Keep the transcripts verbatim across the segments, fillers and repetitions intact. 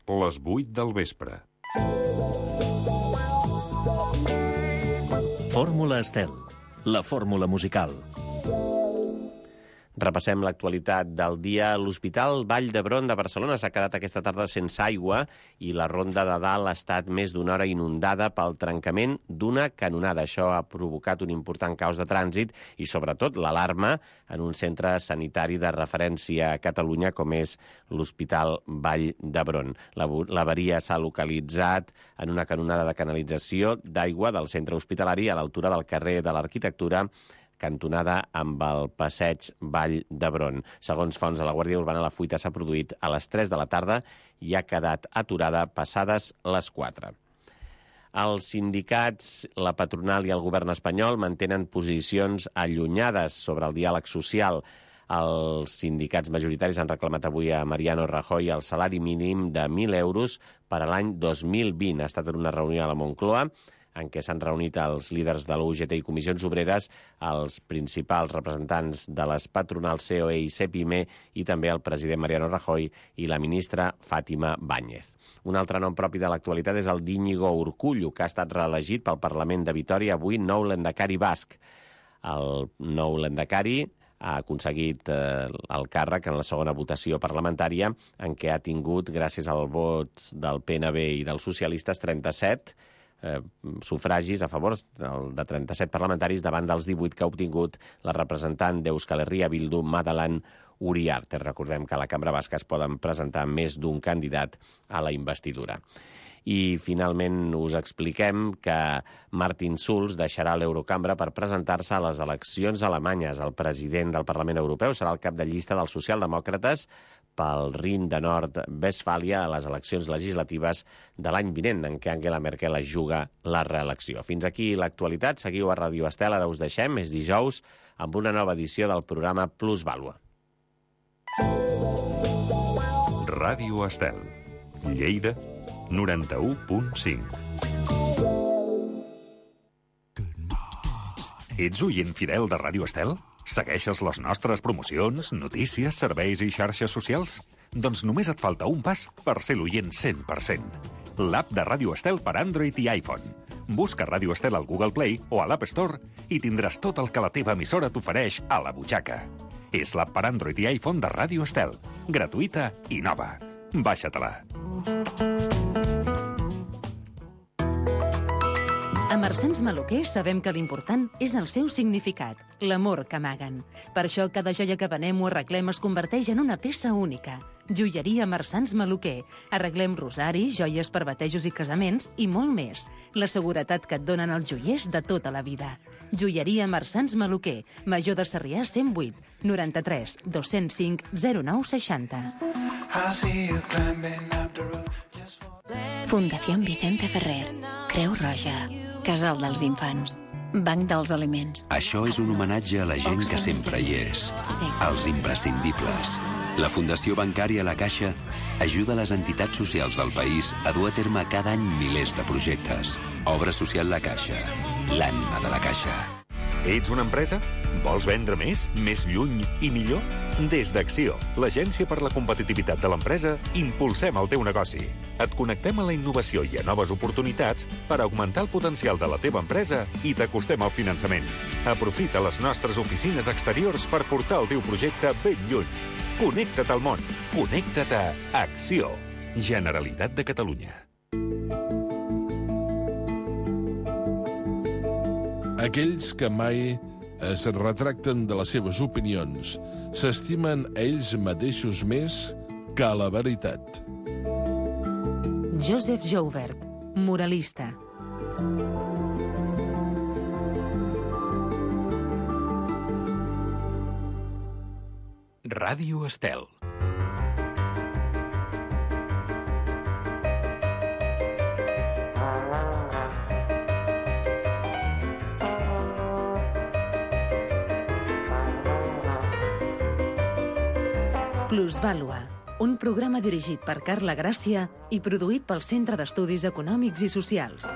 les vuit del vespre. Fórmula Estel, la fórmula musical. Repassem l'actualitat del dia. L'Hospital Vall d'Hebron de Barcelona s'ha quedat aquesta tarda sense aigua i la Ronda de Dalt ha estat més d'una hora inundada pel trencament d'una canonada. Això ha provocat un important caos de trànsit i, sobretot, l'alarma en un centre sanitari de referència a Catalunya com és l'Hospital Vall d'Hebron. L'avaria s'ha localitzat en una canonada de canalització d'aigua del centre hospitalari a l'altura del carrer de l'Arquitectura, cantonada amb el passeig Vall d'Hebron. Segons fonts de la Guàrdia Urbana, la fuita s'ha produït a les tres de la tarda i ha quedat aturada passades les quatre. Els sindicats, la patronal i el govern espanyol mantenen posicions allunyades sobre el diàleg social. Els sindicats majoritaris han reclamat avui a Mariano Rajoy el salari mínim de mil euros per a l'any dos mil vint. Ha estat en una reunió a la Moncloa en què s'han reunit els líders de l'U G T i Comissions Obreres, els principals representants de les patronals C O E i CEPIME i també el president Mariano Rajoy i la ministra Fátima Báñez. Un altre nom propi de l'actualitat és el d'Íñigo Urkullu, que ha estat reelegit pel Parlament de Vitòria, avui nou lehendakari basc. El nou lehendakari ha aconseguit eh, el càrrec en la segona votació parlamentària, en què ha tingut, gràcies al vot del P N V i dels socialistes, trenta-set Eh, sufragis a favor de trenta-set parlamentaris davant dels divuit que ha obtingut la representant d'Euskal Herria Bildu, Madeleine Uriarte. Recordem que a la Cambra Basca es poden presentar més d'un candidat a la investidura. I, finalment, us expliquem que Martin Schulz deixarà l'Eurocambra per presentar-se a les eleccions alemanyes. El president del Parlament Europeu serà el cap de llista dels socialdemòcrates pel Rin de Nord-Westfàlia a les eleccions legislatives de l'any vinent, en què Angela Merkel es juga la reelecció. Fins aquí l'actualitat. Seguiu a Ràdio Estel. Ara us deixem. És dijous amb una nova edició del programa Plusvàlua. Ràdio Estel. Lleida, noranta-u punt cinc. Ets oient fidel de Ràdio Estel? Segueixes les nostres promocions, notícies, serveis i xarxes socials? Doncs només et falta un pas per ser l'oient cent per cent. L'app de Ràdio Estel per Android i iPhone. Busca Ràdio Estel al Google Play o a l'App Store i tindràs tot el que la teva emissora t'ofereix a la butxaca. És l'app per Android i iPhone de Ràdio Estel. Gratuïta i nova. Baixa-te-la. A Marsans Maluquer sabem que l'important és el seu significat, l'amor que amaguen. Per això cada joia que venem o arreglem es converteix en una peça única. Joieria Marsans Maluquer. Arreglem rosaris, joies per batejos i casaments i molt més. La seguretat que et donen els joiers de tota la vida. Joieria Marsans Maluquer. Major de Sarrià cent vuit, noranta-tres, dos-cents cinc, zero nou seixanta. Fundació Vicente Ferrer, Creu Roja, Casal dels Infants, Banc dels Aliments. Això és un homenatge a la gent que sempre hi és, Sí. als imprescindibles. La Fundació Bancària La Caixa ajuda les entitats socials del país a dur a terme cada any milers de projectes. Obra social La Caixa, l'ànima de la Caixa. Ets una empresa? Vols vendre més, més lluny i millor? Des d'Acció, l'agència per la competitivitat de l'empresa, impulsem el teu negoci. Et connectem a la innovació i a noves oportunitats per augmentar el potencial de la teva empresa i t'acostem al finançament. Aprofita les nostres oficines exteriors per portar el teu projecte ben lluny. Connecta't al món. Connecta't a Acció. Generalitat de Catalunya. Aquells que mai es retracten de les seves opinions s'estimen a ells mateixos més que a la veritat. Joseph Joubert, moralista. Ràdio Estel. Plusvàlua, un programa dirigit per Carla Gràcia i produït pel Centre d'Estudis Econòmics i Socials.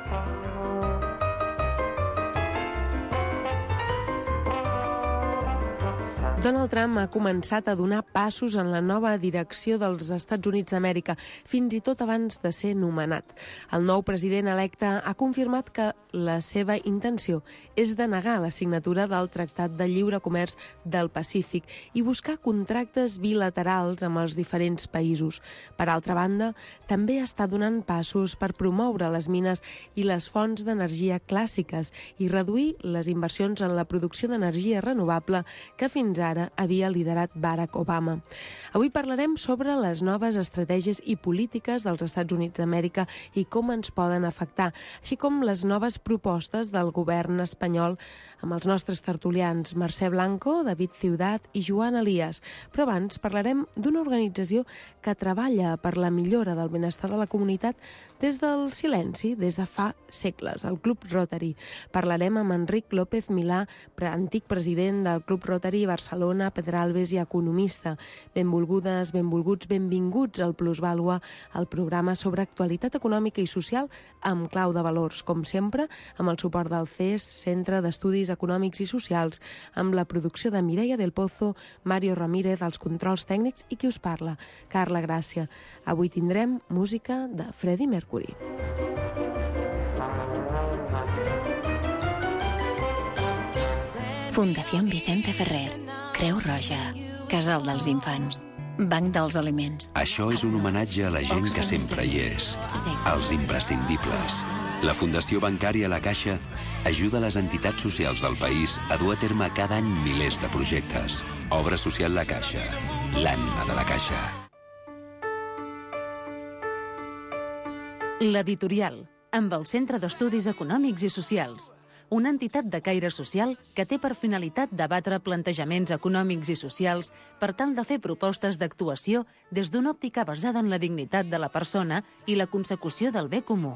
Donald Trump ha començat a donar passos en la nova direcció dels Estats Units d'Amèrica, fins i tot abans de ser nomenat. El nou president electe ha confirmat que la seva intenció és denegar la signatura del Tractat de Lliure Comerç del Pacífic i buscar contractes bilaterals amb els diferents països. Per altra banda, també està donant passos per promoure les mines i les fonts d'energia clàssiques i reduir les inversions en la producció d'energia renovable que fins ara havia liderat Barack Obama. Avui parlarem sobre les noves estratègies i polítiques dels Estats Units d'Amèrica i com ens poden afectar, així com les noves propostes del govern espanyol amb els nostres tertulians Mercè Blanco, David Ciudat i Joan Elias. Però abans parlarem d'una organització que treballa per la millora del benestar de la comunitat des del silenci, des de fa segles, el Club Rotary. Parlarem amb Enric López Milà, antic president del Club Rotary Barcelona, Pedralbes i economista. Benvolgudes, benvolguts, benvinguts al Plusvàlua, el programa sobre actualitat econòmica i social amb clau de valors, com sempre, amb el suport del C E S, Centre d'Estudis Econòmics i Socials, amb la producció de Mireia del Pozo, Mario Ramírez, els controls tècnics i qui us parla, Carla Gràcia. Avui tindrem música de Freddie Mercury. Fundació Vicente Ferrer, Creu Roja, Casal dels Infants, Banc dels Aliments. Això és un homenatge a la gent que sempre hi és, als imprescindibles. La Fundació Bancària La Caixa ajuda les entitats socials del país a dur a terme cada any milers de projectes. Obra social La Caixa, l'ànima de la Caixa. L'Editorial, amb el Centre d'Estudis Econòmics i Socials, una entitat de caire social que té per finalitat debatre plantejaments econòmics i socials per tal de fer propostes d'actuació des d'una òptica basada en la dignitat de la persona i la consecució del bé comú.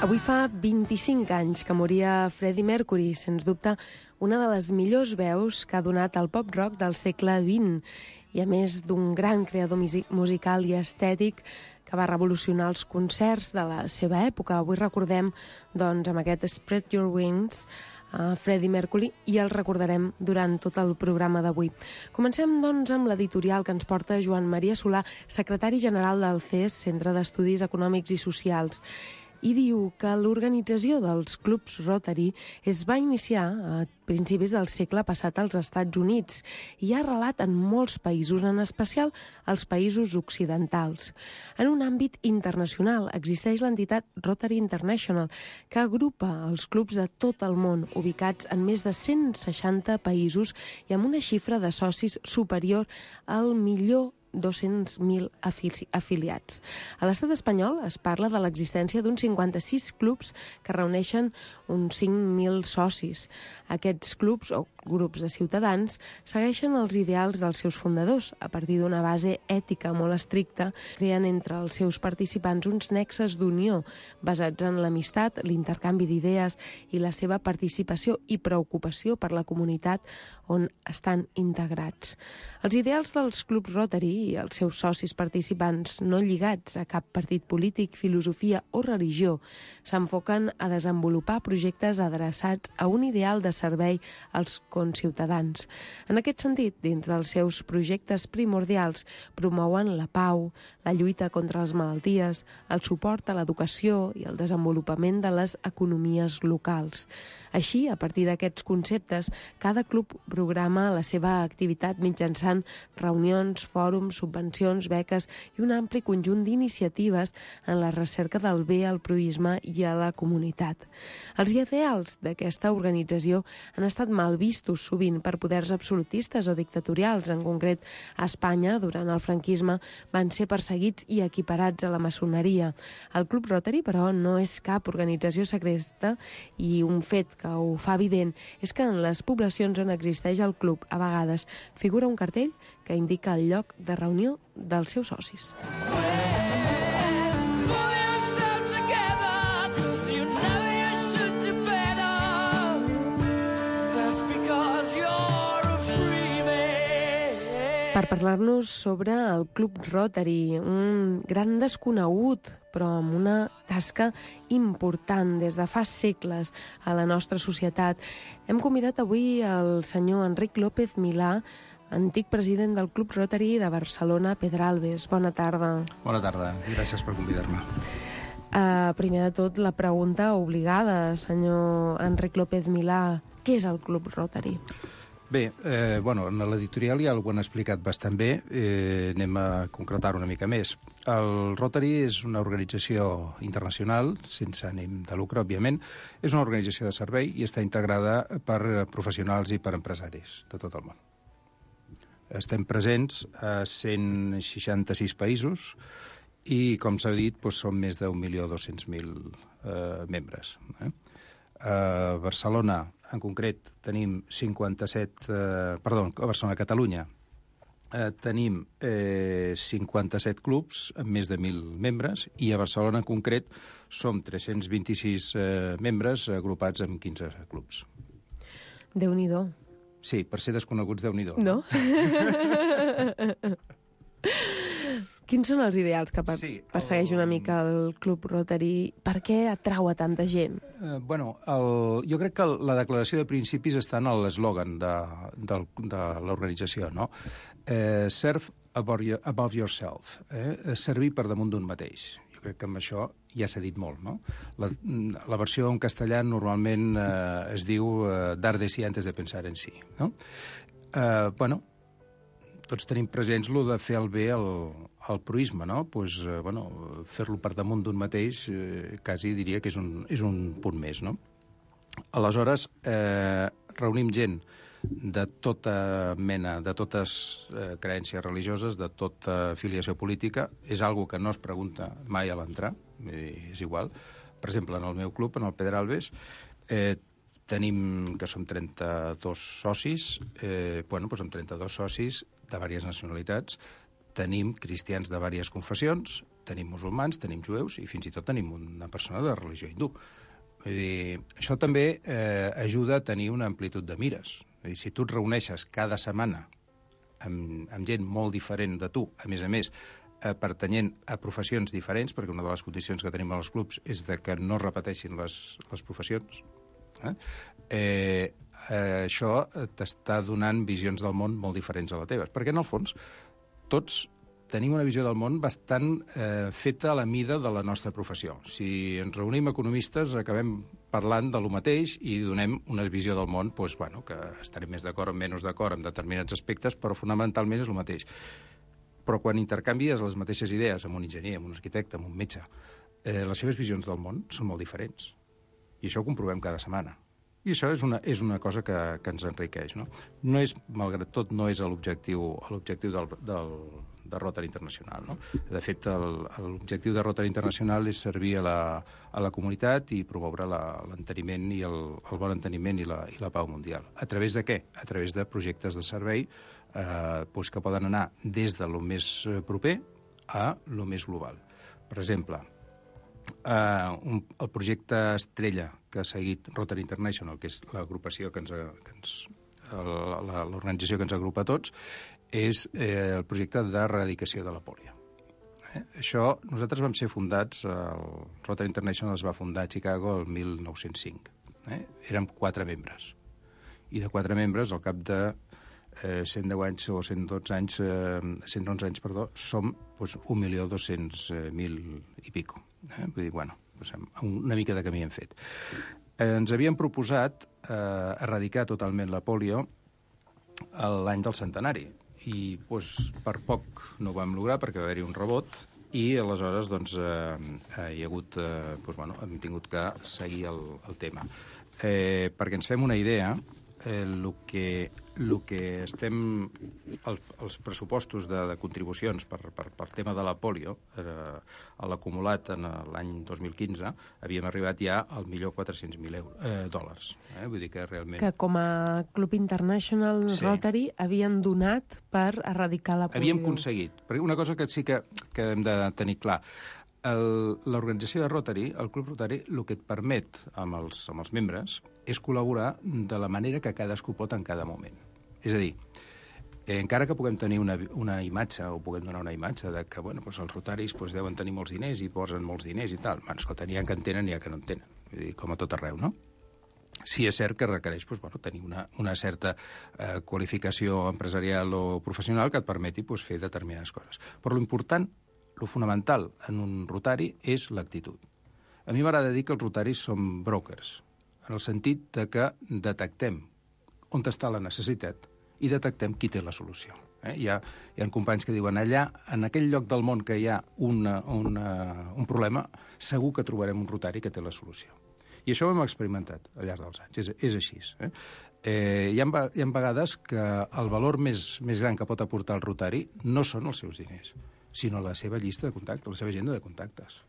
Avui fa vint-i-cinc anys que moria Freddie Mercury, sens dubte una de les millors veus que ha donat el pop-rock del segle vint i a més d'un gran creador musical i estètic que va revolucionar els concerts de la seva època. Avui recordem, doncs, amb aquest Spread Your Wings, a Freddie Mercury, i el recordarem durant tot el programa d'avui. Comencem, doncs, amb l'editorial que ens porta Joan Maria Solà, secretari general del C E S, Centre d'Estudis Econòmics i Socials, i diu que l'organització dels clubs Rotary es va iniciar a principis del segle passat als Estats Units i ha arrelat en molts països, en especial als països occidentals. En un àmbit internacional existeix l'entitat Rotary International, que agrupa els clubs de tot el món, ubicats en més de cent seixanta països i amb una xifra de socis superior al milió dos-cents mil afili afiliats. A l'estat espanyol es parla de l'existència d'uns cinquanta-sis clubs que reuneixen uns cinc mil socis. Aquests clubs, o grups de ciutadans, segueixen els ideals dels seus fundadors. A partir d'una base ètica molt estricta, creen entre els seus participants uns nexes d'unió basats en l'amistat, l'intercanvi d'idees i la seva participació i preocupació per la comunitat on estan integrats. Els ideals dels clubs Rotary i els seus socis participants, no lligats a cap partit polític, filosofia o religió, s'enfoquen a desenvolupar projectes adreçats a un ideal de servei als conciutadans. En aquest sentit, dins dels seus projectes primordials, promouen la pau, la lluita contra les malalties, el suport a l'educació i el desenvolupament de les economies locals. Així, a partir d'aquests conceptes, cada club programa la seva activitat mitjançant reunions, fòrums, subvencions, beques i un ampli conjunt d'iniciatives en la recerca del bé al proïsme i a la comunitat. Els ideals d'aquesta organització han estat mal vistos sovint per poders absolutistes o dictatorials. En concret, a Espanya, durant el franquisme, van ser perseguits i equiparats a la maçoneria. El Club Rotary, però, no és cap organització secreta i un fet que ho fa evident és que en les poblacions on existeix el club, a vegades, figura un cartell que indica el lloc de reunió dels seus socis. When per parlar-nos sobre el Club Rotary, un gran desconegut, però amb una tasca important des de fa segles a la nostra societat. Hem convidat avui el senyor Enric López Milà, antic president del Club Rotary de Barcelona Pedralbes. Bona tarda. Bona tarda, gràcies per convidar-me. Uh, primer de tot, la pregunta obligada, senyor Enric López Milà. Què és el Club Rotary? Bé, eh, bueno, en l'editorial ja ho han explicat bastant bé, eh, anem a concretar una mica més. El Rotary és una organització internacional, sense ànim de lucre, òbviament. És una organització de servei i està integrada per professionals i per empresaris de tot el món. Estem presents a cent seixanta-sis països i, com s'ha dit, doncs, són més d'un milió dos-cents mil eh, membres. Eh? A Barcelona, en concret, tenim cinquanta-set... Eh, perdó, a Barcelona, a Catalunya, eh, tenim eh, cinquanta-set clubs amb més de mil membres i a Barcelona, en concret, som tres-cents vint-i-sis eh, membres agrupats en quinze clubs. Déu-n'hi-do. Sí, per ser desconeguts, Déu-n'hi-do. No? Quins són els ideals que per, sí, persegueix una mica el Club Rotary? Per què atrau a tanta gent? Eh, bueno, el, jo crec que la declaració de principis està en l'eslògan de, de, de l'organització, no? Eh, serve above, your, above yourself, eh? Servir per damunt d'un mateix. Jo crec que amb això ja s'ha dit molt, no? La, la versió en castellà normalment eh, es diu eh, dar de sí antes de pensar en sí, no? Eh, bueno, tots tenim presents lo de fer el bé al, al proisme, no? Pues, eh, bueno, fer-lo per damunt d'un mateix eh, quasi diria que és un, és un punt més, no? Aleshores, eh, reunim gent de tota mena, de totes eh, creences religioses, de tota filiació política. És algo que no es pregunta mai a l'entrar, eh, és igual. Per exemple, en el meu club, en el Pedralbes, eh, tenim, que som trenta-dos socis, eh, bueno, doncs amb trenta-dos socis de diverses nacionalitats, tenim cristians de diverses confessions, tenim musulmans, tenim jueus i fins i tot tenim una persona de religió hindú. Vull dir, això també eh, ajuda a tenir una amplitud de mires. Vull dir, si tu et reuneixes cada setmana amb, amb gent molt diferent de tu, a més a més, eh, pertanyent a professions diferents, perquè una de les condicions que tenim als clubs és de que no repeteixin les, les professions, eh? Eh, eh, això t'està donant visions del món molt diferents a les teves, perquè en el fons tots tenim una visió del món bastant eh, feta a la mida de la nostra professió. Si ens reunim economistes acabem parlant de lo mateix i donem una visió del món, doncs, bueno, que estarem més d'acord o menys d'acord en determinats aspectes, però fonamentalment és el mateix. Però quan intercanvies les mateixes idees amb un enginyer, amb un arquitecte, amb un metge, eh, les seves visions del món són molt diferents. I això ho comprovem cada setmana. I això és una, és una cosa que, que ens enriqueix, no? No és, malgrat tot, no és l'objectiu l'objectiu del, del, de Rotary Internacional, no? De fet, l'objectiu de Rotary Internacional és servir a la, a la comunitat i promoure l'enteniment i el, el bon enteniment i la, i la pau mundial. A través de què? A través de projectes de servei eh, doncs que poden anar des de lo més proper a lo més global. Per exemple, Uh, un, el projecte Estrella que ha seguit Rotary International, que és l'agrupació que ens, que ens l'organització que ens agrupa a tots, és eh, el projecte d'erradicació de la pòlio. Eh? Això, nosaltres vam ser fundats, el Rotary International es va fundar a Chicago el mil nou-cents cinc. Eh? Érem quatre membres. I de quatre membres, al cap de eh, cent deu anys o cent dotze anys, eh, cent onze anys, perdó, som doncs, un milió dos-cents mil i pico. Eh? Vull dir, bueno, una mica de camí hem fet. Eh, ens havíem proposat eh, erradicar totalment la pòlio l'any del centenari i doncs, per poc no ho vam lograr perquè va haver-hi un rebot i aleshores doncs, eh, hi ha hagut, eh, doncs, bueno, hem tingut que seguir el, el tema. Eh, perquè ens fem una idea, el eh, que, lo que estem... El, els pressupostos de, de contribucions per, per, per tema de la pòlio, eh, l'acumulat en l'any dos mil quinze, havíem arribat ja al milió quatre-cents mil eh, dòlars. Eh? Vull dir que realment... Que com a Club International sí. Rotary havien donat per erradicar la pòlio. Havíem aconseguit. Perquè una cosa que sí que, que hem de tenir clar, l'organització de Rotary, el Club Rotary, el que et permet amb els, amb els membres és col·laborar de la manera que cadascú pot en cada moment. És a dir, Eh, encara que puguem tenir una, una imatge, o puguem donar una imatge de que bueno, doncs els rotaris doncs, deuen tenir molts diners i posen molts diners i tal. Bueno, escolta, n'hi ha que en tenen i n'hi ha que no en tenen. Vull dir, com a tot arreu, no? Sí és cert que requereix doncs, bueno, tenir una, una certa eh, qualificació empresarial o professional que et permeti doncs, fer determinades coses. Però l'important, lo fonamental en un rotari és l'actitud. A mi m'agrada dir que els rotaris són brokers, en el sentit de que detectem on està la necessitat i detectem qui té la solució. Eh? Hi, ha, hi ha companys que diuen allà, en aquell lloc del món que hi ha una, una, un problema, segur que trobarem un rotari que té la solució. I això ho hem experimentat al llarg dels anys, és, és així. Eh? Eh, hi, ha, hi ha vegades que el valor més, més gran que pot aportar el rotari no són els seus diners, sinó la seva llista de contactes, la seva agenda de contactes.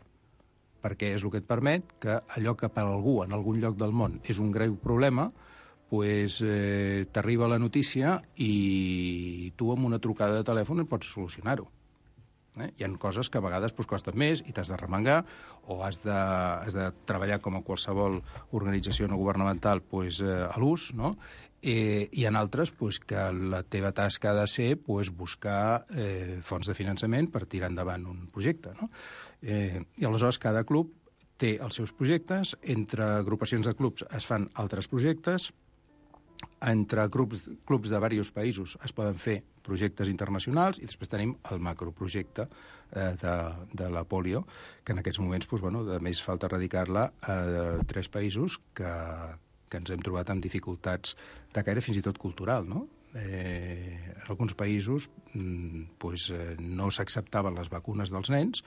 Perquè és el que et permet que allò que per algú en algun lloc del món és un greu problema, pues, eh, t'arriba la notícia i tu amb una trucada de telèfon pots solucionar-ho. Eh? Hi ha coses que a vegades pues, costen més i t'has de remengar o has de, has de treballar com a qualsevol organització no governamental pues, eh, a l'ús, no? Eh, hi ha altres pues, que la teva tasca ha de ser pues, buscar eh, fons de finançament per tirar endavant un projecte. No? Eh, I aleshores cada club té els seus projectes, entre agrupacions de clubs es fan altres projectes, entre grups, clubs de diversos països es poden fer projectes internacionals i després tenim el macroprojecte eh, de, de la polio, que en aquests moments, doncs, bueno, a més falta erradicar-la a tres països que, que ens hem trobat amb dificultats de caire fins i tot cultural, no? Eh, en alguns països doncs, eh, no s'acceptaven les vacunes dels nens,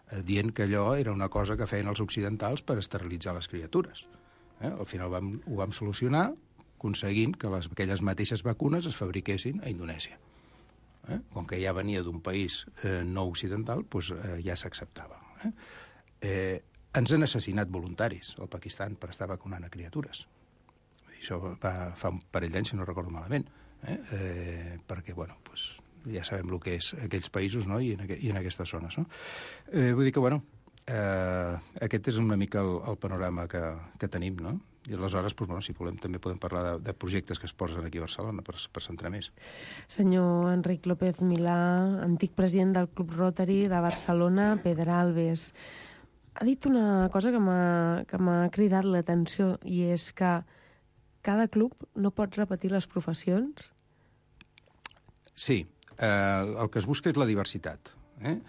eh, dient que allò era una cosa que feien els occidentals per esterilitzar les criatures. Eh? Al final vam, ho vam solucionar aconseguint que les, aquelles mateixes vacunes es fabriquessin a Indonèsia. Eh? Com que ja venia d'un país eh, no occidental, doncs, eh, ja s'acceptava. Eh? Eh, ens han assassinat voluntaris al Pakistan per estar vacunant a criatures. Això va fa un parell d'anys, si no recordo malament, eh? Eh, perquè, bueno, doncs, ja sabem el que és aquells països, no? I, en aqu i en aquestes zones. No? Eh, vull dir que, bueno, eh, aquest és una mica el, el panorama que, que tenim, no? I aleshores, doncs, bueno, si volem, també podem parlar de, de projectes que es posen aquí a Barcelona per, per centrar més. Senyor Enric López Milà, antic president del Club Rotary de Barcelona, Pedralbes, ha dit una cosa que m'ha cridat l'atenció i és que cada club no pot repetir les professions? Sí, eh, el que es busca és la diversitat. Eh?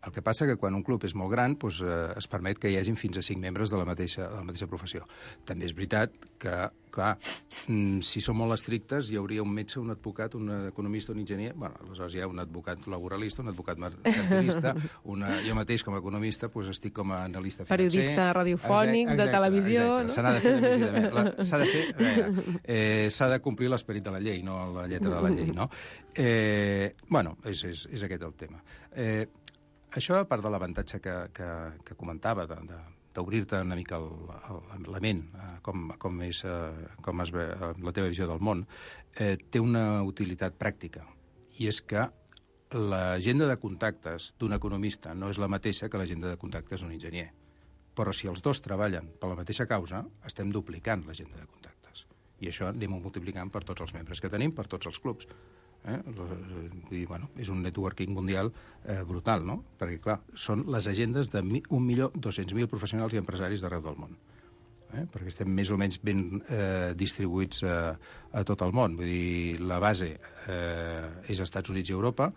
El que passa que quan un club és molt gran doncs, eh, es permet que hi hagin fins a cinc membres de la mateixa, de la mateixa professió. També és veritat que, clar, si són molt estrictes hi hauria un metge, un advocat, un economista, un enginyer... Bueno, aleshores hi ha un advocat laboralista, un advocat mercantilista, una... jo mateix com a economista doncs, estic com a analista financer... Periodista radiofònic, exacte, de televisió... Exacte, se n'ha de fer decididament. S'ha de ser... Eh, s'ha de complir l'esperit de la llei, no la lletra de la llei, no? Eh, bueno, és, és, és aquest el tema. Eh, Això, a part de l'avantatge que, que, que comentava, d'obrir-te una mica el, el, la ment, eh, com, com, és, eh, com es ve eh, la teva visió del món, eh, té una utilitat pràctica. I és que l'agenda de contactes d'un economista no és la mateixa que l'agenda de contactes d'un enginyer. Però si els dos treballen per la mateixa causa, estem duplicant l'agenda de contactes. I això anem multiplicant per tots els membres que tenim, per tots els clubs. Eh? Vull dir, bueno, és un networking mundial eh, brutal, no? Perquè, clar, són les agendes de un milió dos-cents mil professionals i empresaris d'arreu del món. Eh? Perquè estem més o menys ben eh, distribuïts eh, a tot el món. Vull dir, la base eh, és Estats Units i Europa,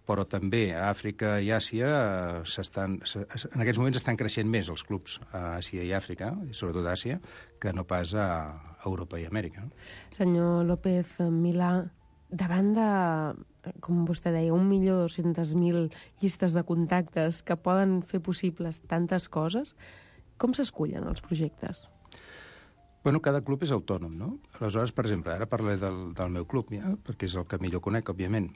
però també a Àfrica i Àsia eh, s'estan, en aquests moments estan creixent més els clubs a Àsia i Àfrica, i sobretot a Àsia, que no pas a Europa i Amèrica. Senyor López Milà, davant de, com vostè deia, un milió dos-cents mil llistes de contactes que poden fer possibles tantes coses, com s'escullen els projectes? Bueno, cada club és autònom, no? Aleshores, per exemple, ara parlaré del, del meu club, ja, perquè és el que millor conec, òbviament.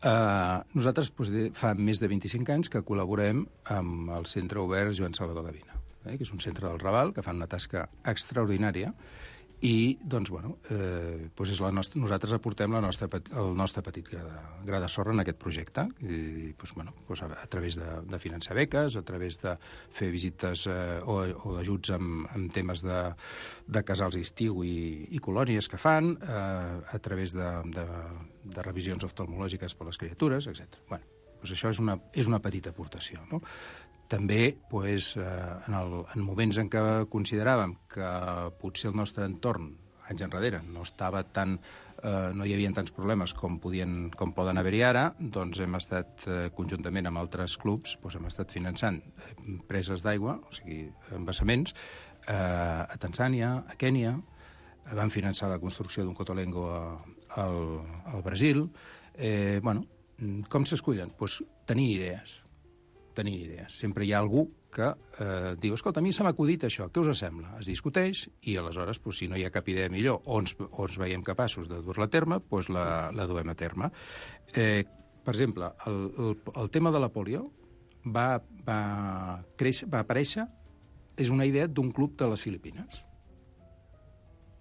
Uh, nosaltres doncs, fa més de vint-i-cinc anys que col·laborem amb el Centre Obert Joan Salvador Gavina, eh, que és un centre del Raval que fan una tasca extraordinària. I, doncs, bueno, eh, doncs és la nostra, nosaltres aportem la nostra, el nostre petit gra de, gra de sorra en aquest projecte, i, doncs, bueno, doncs a, a través de, de finançar beques, a través de fer visites eh, o, o ajuts amb, amb temes de, de casals d'estiu i, i colònies que fan, eh, a través de, de, de revisions oftalmològiques per les criatures, etcètera. Bueno, doncs això és una, és una petita aportació, no? També, doncs, eh, en, el, en moments en què consideràvem que potser el nostre entorn, anys enrere, no estava tan, eh, no hi havia tants problemes com, podien, com poden haver-hi ara, doncs hem estat, eh, conjuntament amb altres clubs, doncs hem estat finançant eh, preses d'aigua, o sigui, embassaments, eh, a Tanzània, a Kènia, van finançar la construcció d'un cotolengo a, al, al Brasil. Eh, bueno, com s'escullen? Doncs tenir idees. Tenir idees. Sempre hi ha algú que eh, diu, escolta, a mi se m'ha acudit això, què us sembla? Es discuteix i aleshores, doncs, si no hi ha cap idea millor o ens, o ens veiem capaços de dur-la a terme, doncs la, la duem a terme. Eh, per exemple, el, el, el tema de la polio va, va, créixer, va aparèixer, és una idea d'un club de les Filipines.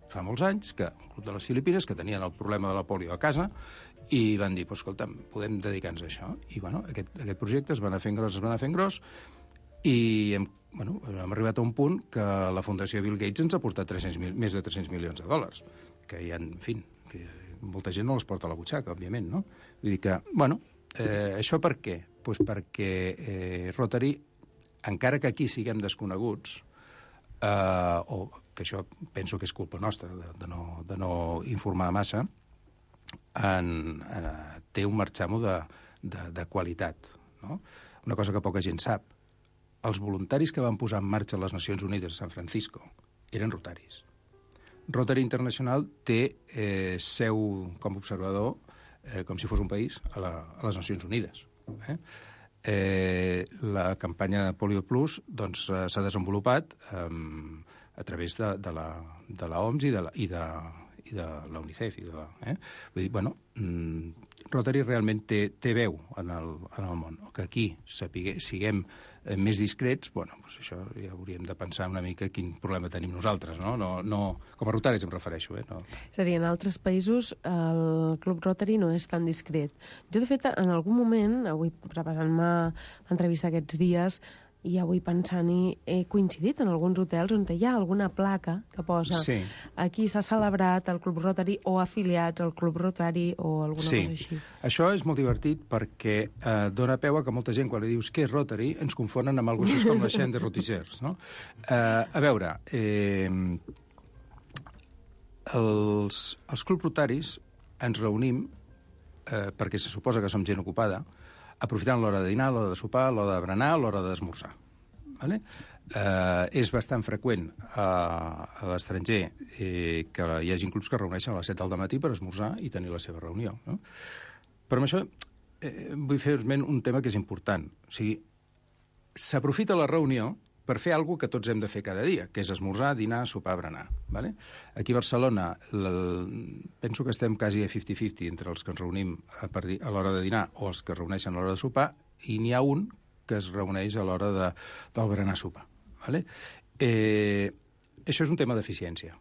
Fa molts anys que un club de les Filipines que tenien el problema de la polio a casa i van dir, pues, escolta, podem dedicar-nos a això. I bueno, aquest, aquest projecte es va anar fent gros, es va anar fent gros, i hem, bueno, hem arribat a un punt que la Fundació Bill Gates ens ha portat tres cents mil, més de tres-cents milions de dòlars, que hi ha, en fi, que molta gent no els porta a la butxaca, òbviament, no? Vull dir que, bueno, eh, això per què? Pues perquè eh, Rotary, encara que aquí siguem desconeguts, eh, o que això penso que és culpa nostra, de, de, no, de no informar massa, en, en, té un marxamo de, de, de qualitat, no? Una cosa que poca gent sap. Els voluntaris que van posar en marxa les Nacions Unides a San Francisco eren rotaris. Rotary International té eh, seu com a observador, eh, com si fos un país, a, la, a les Nacions Unides. Eh? Eh, la campanya Polio Plus doncs, eh, s'ha desenvolupat eh, a través de, de, la, de la O M S i de la, i de, i de la UNICEF. I de la, eh? Vull dir, bueno, mm, Rotary realment té, té veu en el, en el món. Que aquí sapigue, siguem eh, més discrets, bueno, doncs això ja hauríem de pensar una mica quin problema tenim nosaltres, no? No, no com a rotaris em refereixo, eh? No. És a dir, en altres països el Club Rotary no és tan discret. Jo, de fet, en algun moment, avui preparant-me l'entrevista aquests dies, i avui pensant-hi, he coincidit en alguns hotels on hi ha alguna placa que posa sí. Aquí s'ha celebrat el Club Rotary o afiliats al Club Rotary o alguna sí. cosa així. Això és molt divertit perquè eh, dona peu a que molta gent, quan li dius què és Rotary, ens confonen amb alguna cosa com la Chaîne de Rotigers, no? Eh, a veure, eh, els, els clubs rotaris ens reunim eh, perquè se suposa que som gent ocupada, aprofitant l'hora de dinar, l'hora de sopar, l'hora de berenar, l'hora d'esmorzar. Vale? Eh, és bastant freqüent a, a l'estranger eh, que hi hagi clubs que es reuneixen a les set del matí per esmorzar i tenir la seva reunió. No? Però amb això eh, vull fer esment un tema que és important. O sigui, s'aprofita la reunió per fer alguna que tots hem de fer cada dia, que és esmorzar, dinar, sopar, berenar. Vale? Aquí a Barcelona penso que estem quasi a cinquanta cinquanta entre els que ens reunim a, a l'hora de dinar o els que es reuneixen a l'hora de sopar, i n'hi ha un que es reuneix a l'hora de, del berenar-sopar. Vale? Eh, això és un tema d'eficiència.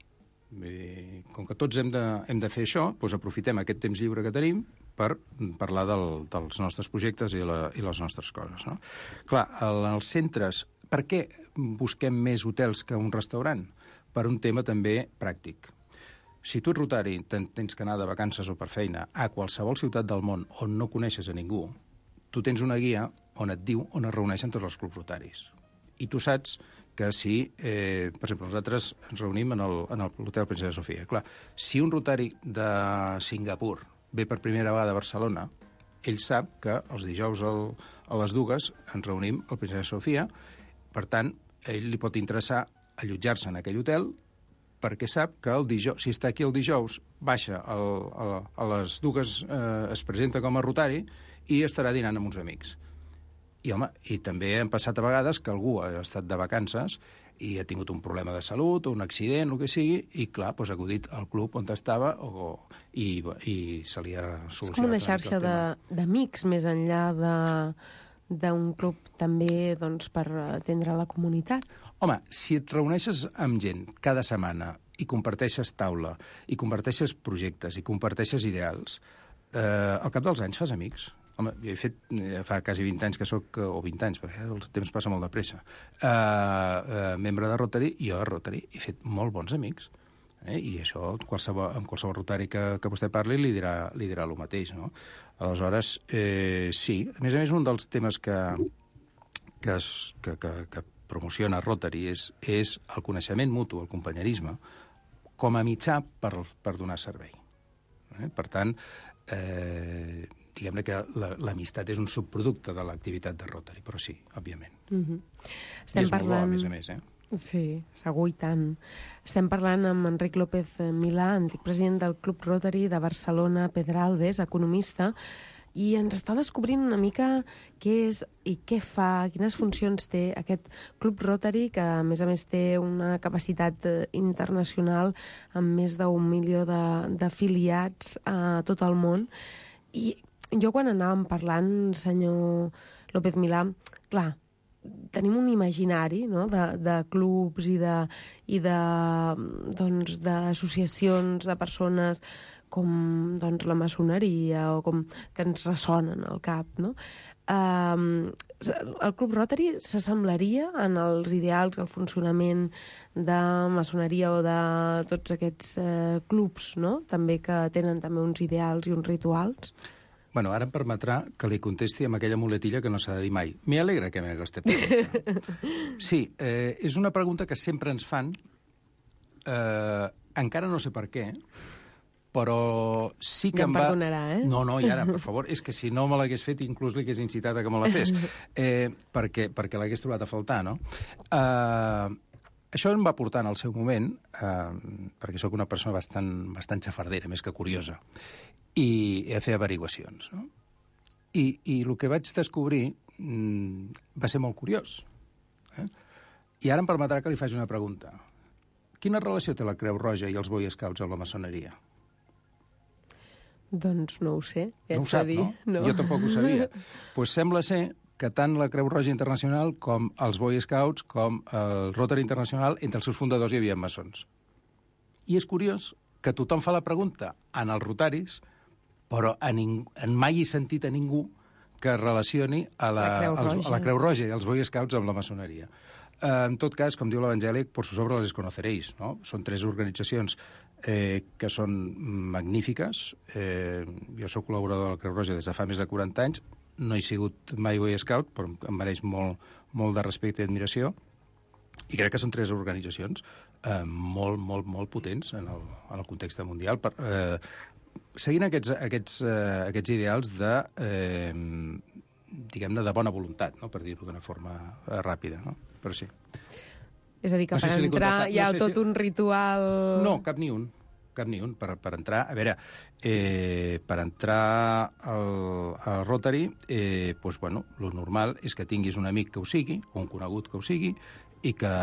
Com que tots hem de, hem de fer això, doncs aprofitem aquest temps lliure que tenim per parlar del, dels nostres projectes i, la, i les nostres coses. No? Clar, als centres... Per què busquem més hotels que un restaurant? Per un tema també pràctic. Si tu ets rotari, tens que anar de vacances o per feina a qualsevol ciutat del món on no coneixes a ningú, tu tens una guia on et diu on es reuneixen tots els clubs rotaris. I tu saps que si, eh, per exemple, nosaltres ens reunim en l'Hotel Princesa Sofia. Clar, si un rotari de Singapur ve per primera vegada a Barcelona, ell sap que els dijous al, a les dues ens reunim al Princesa Sofia. Per tant, a ell li pot interessar allotjar-se en aquell hotel perquè sap que el dijous, si està aquí el dijous, baixa el, el, a les dues, eh, es presenta com a rotari i estarà dinant amb uns amics. I, home, i també han passat a vegades que algú ha estat de vacances i ha tingut un problema de salut o un accident, el que sigui, i, clar, doncs, ha acudit al club on estava o, i, i se li ha solucionat. És com una xarxa d'amics més enllà de... d'un club també doncs, per atendre la comunitat. Home, si et reuneixes amb gent cada setmana i comparteixes taula, i comparteixes projectes, i comparteixes ideals, eh, al cap dels anys fas amics. Home, jo he fet, fa quasi vint anys que soc, o vint anys, perquè el temps passa molt de pressa, eh, eh, membre de Rotary, i jo a Rotary he fet molt bons amics. Eh? I això, qualsevol, amb qualsevol rotari que, que vostè parli, li dirà, li dirà el mateix, no? Aleshores, eh, sí. A més a més, un dels temes que, que, es, que, que, que promociona Rotary és, és el coneixement mutu, el companyerisme, com a mitjà per, per donar servei. Eh? Per tant, eh, diguem-ne que l'amistat és un subproducte de l'activitat de Rotary, però sí, òbviament. Mm-hmm. I és parlant... molt bo, a més a més, eh? Sí, segur i tant. Estem parlant amb Enric López Milà, antic president del Club Rotary de Barcelona, Pedralbes, economista, i ens està descobrint una mica què és i què fa, quines funcions té aquest Club Rotary, que a més a més té una capacitat internacional amb més d'un milió d'afiliats a tot el món. I jo quan anàvem parlant, senyor López Milà, clar, tenim un imaginari, no?, de, de clubs i de, i de, doncs, d'associacions de persones com doncs, la maçoneria o com que ens ressonen al cap, no? Um, el Club Rotary s'assemblaria en els ideals, el funcionament de maçoneria o de tots aquests eh, clubs, no?, també que tenen també uns ideals i uns rituals? Bueno, ara em permetrà que li contesti amb aquella muletilla que no s'ha de dir mai. Me alegra que m'hagués este pregunta. Sí, eh, és una pregunta que sempre ens fan, eh, encara no sé per què, però sí que ja em va... perdonarà, eh? No, no, i ara, per favor, és que si no me l'hagués fet, inclús li hagués incitat a que me la fes, eh, perquè, perquè l'hagués trobat a faltar, no? Eh, això em va portar en el seu moment, eh, perquè sóc una persona bastant, bastant xafardera, més que curiosa, i he de fer averiguacions, no? I, i el que vaig descobrir mm, va ser molt curiós. Eh? I ara em permetrà que li faci una pregunta. Quina relació té la Creu Roja i els Boy Scouts amb la maçoneria? Doncs no ho sé. Ja no ho sap, no? no? Jo tampoc ho sabia. Doncs pues sembla ser que tant la Creu Roja Internacional com els Boy Scouts com el Rotary Internacional, entre els seus fundadors hi havia maçons. I és curiós que tothom fa la pregunta en els rotaris, però a ning... en mai he sentit a ningú que relacioni a la, la, Creu als, a la Creu Roja i els Boy Scouts amb la maçoneria. Eh, en tot cas, com diu l'Evangèlic, por sus obras les conoceréis, no? Són tres organitzacions eh, que són magnífiques. Eh, jo soc col·laborador de la Creu Roja des de fa més de quaranta anys, no he sigut mai Boy Scout, però em mereix molt, molt de respecte i admiració, i crec que són tres organitzacions eh, molt, molt, molt potents en el, en el context mundial, per, eh, seguint aquests, aquests, eh, aquests ideals de, eh, diguem-ne, de bona voluntat, no? Per dir-ho d'una forma eh, ràpida, no? Però sí. És a dir, que no per sé si entrar hi ha no sé tot si... un ritual... No, cap ni un. Cap ni un. Per, per entrar... A veure, eh, per entrar al, al Rotary, eh, doncs, bueno, lo normal és que tinguis un amic que ho sigui, o un conegut que ho sigui, i que...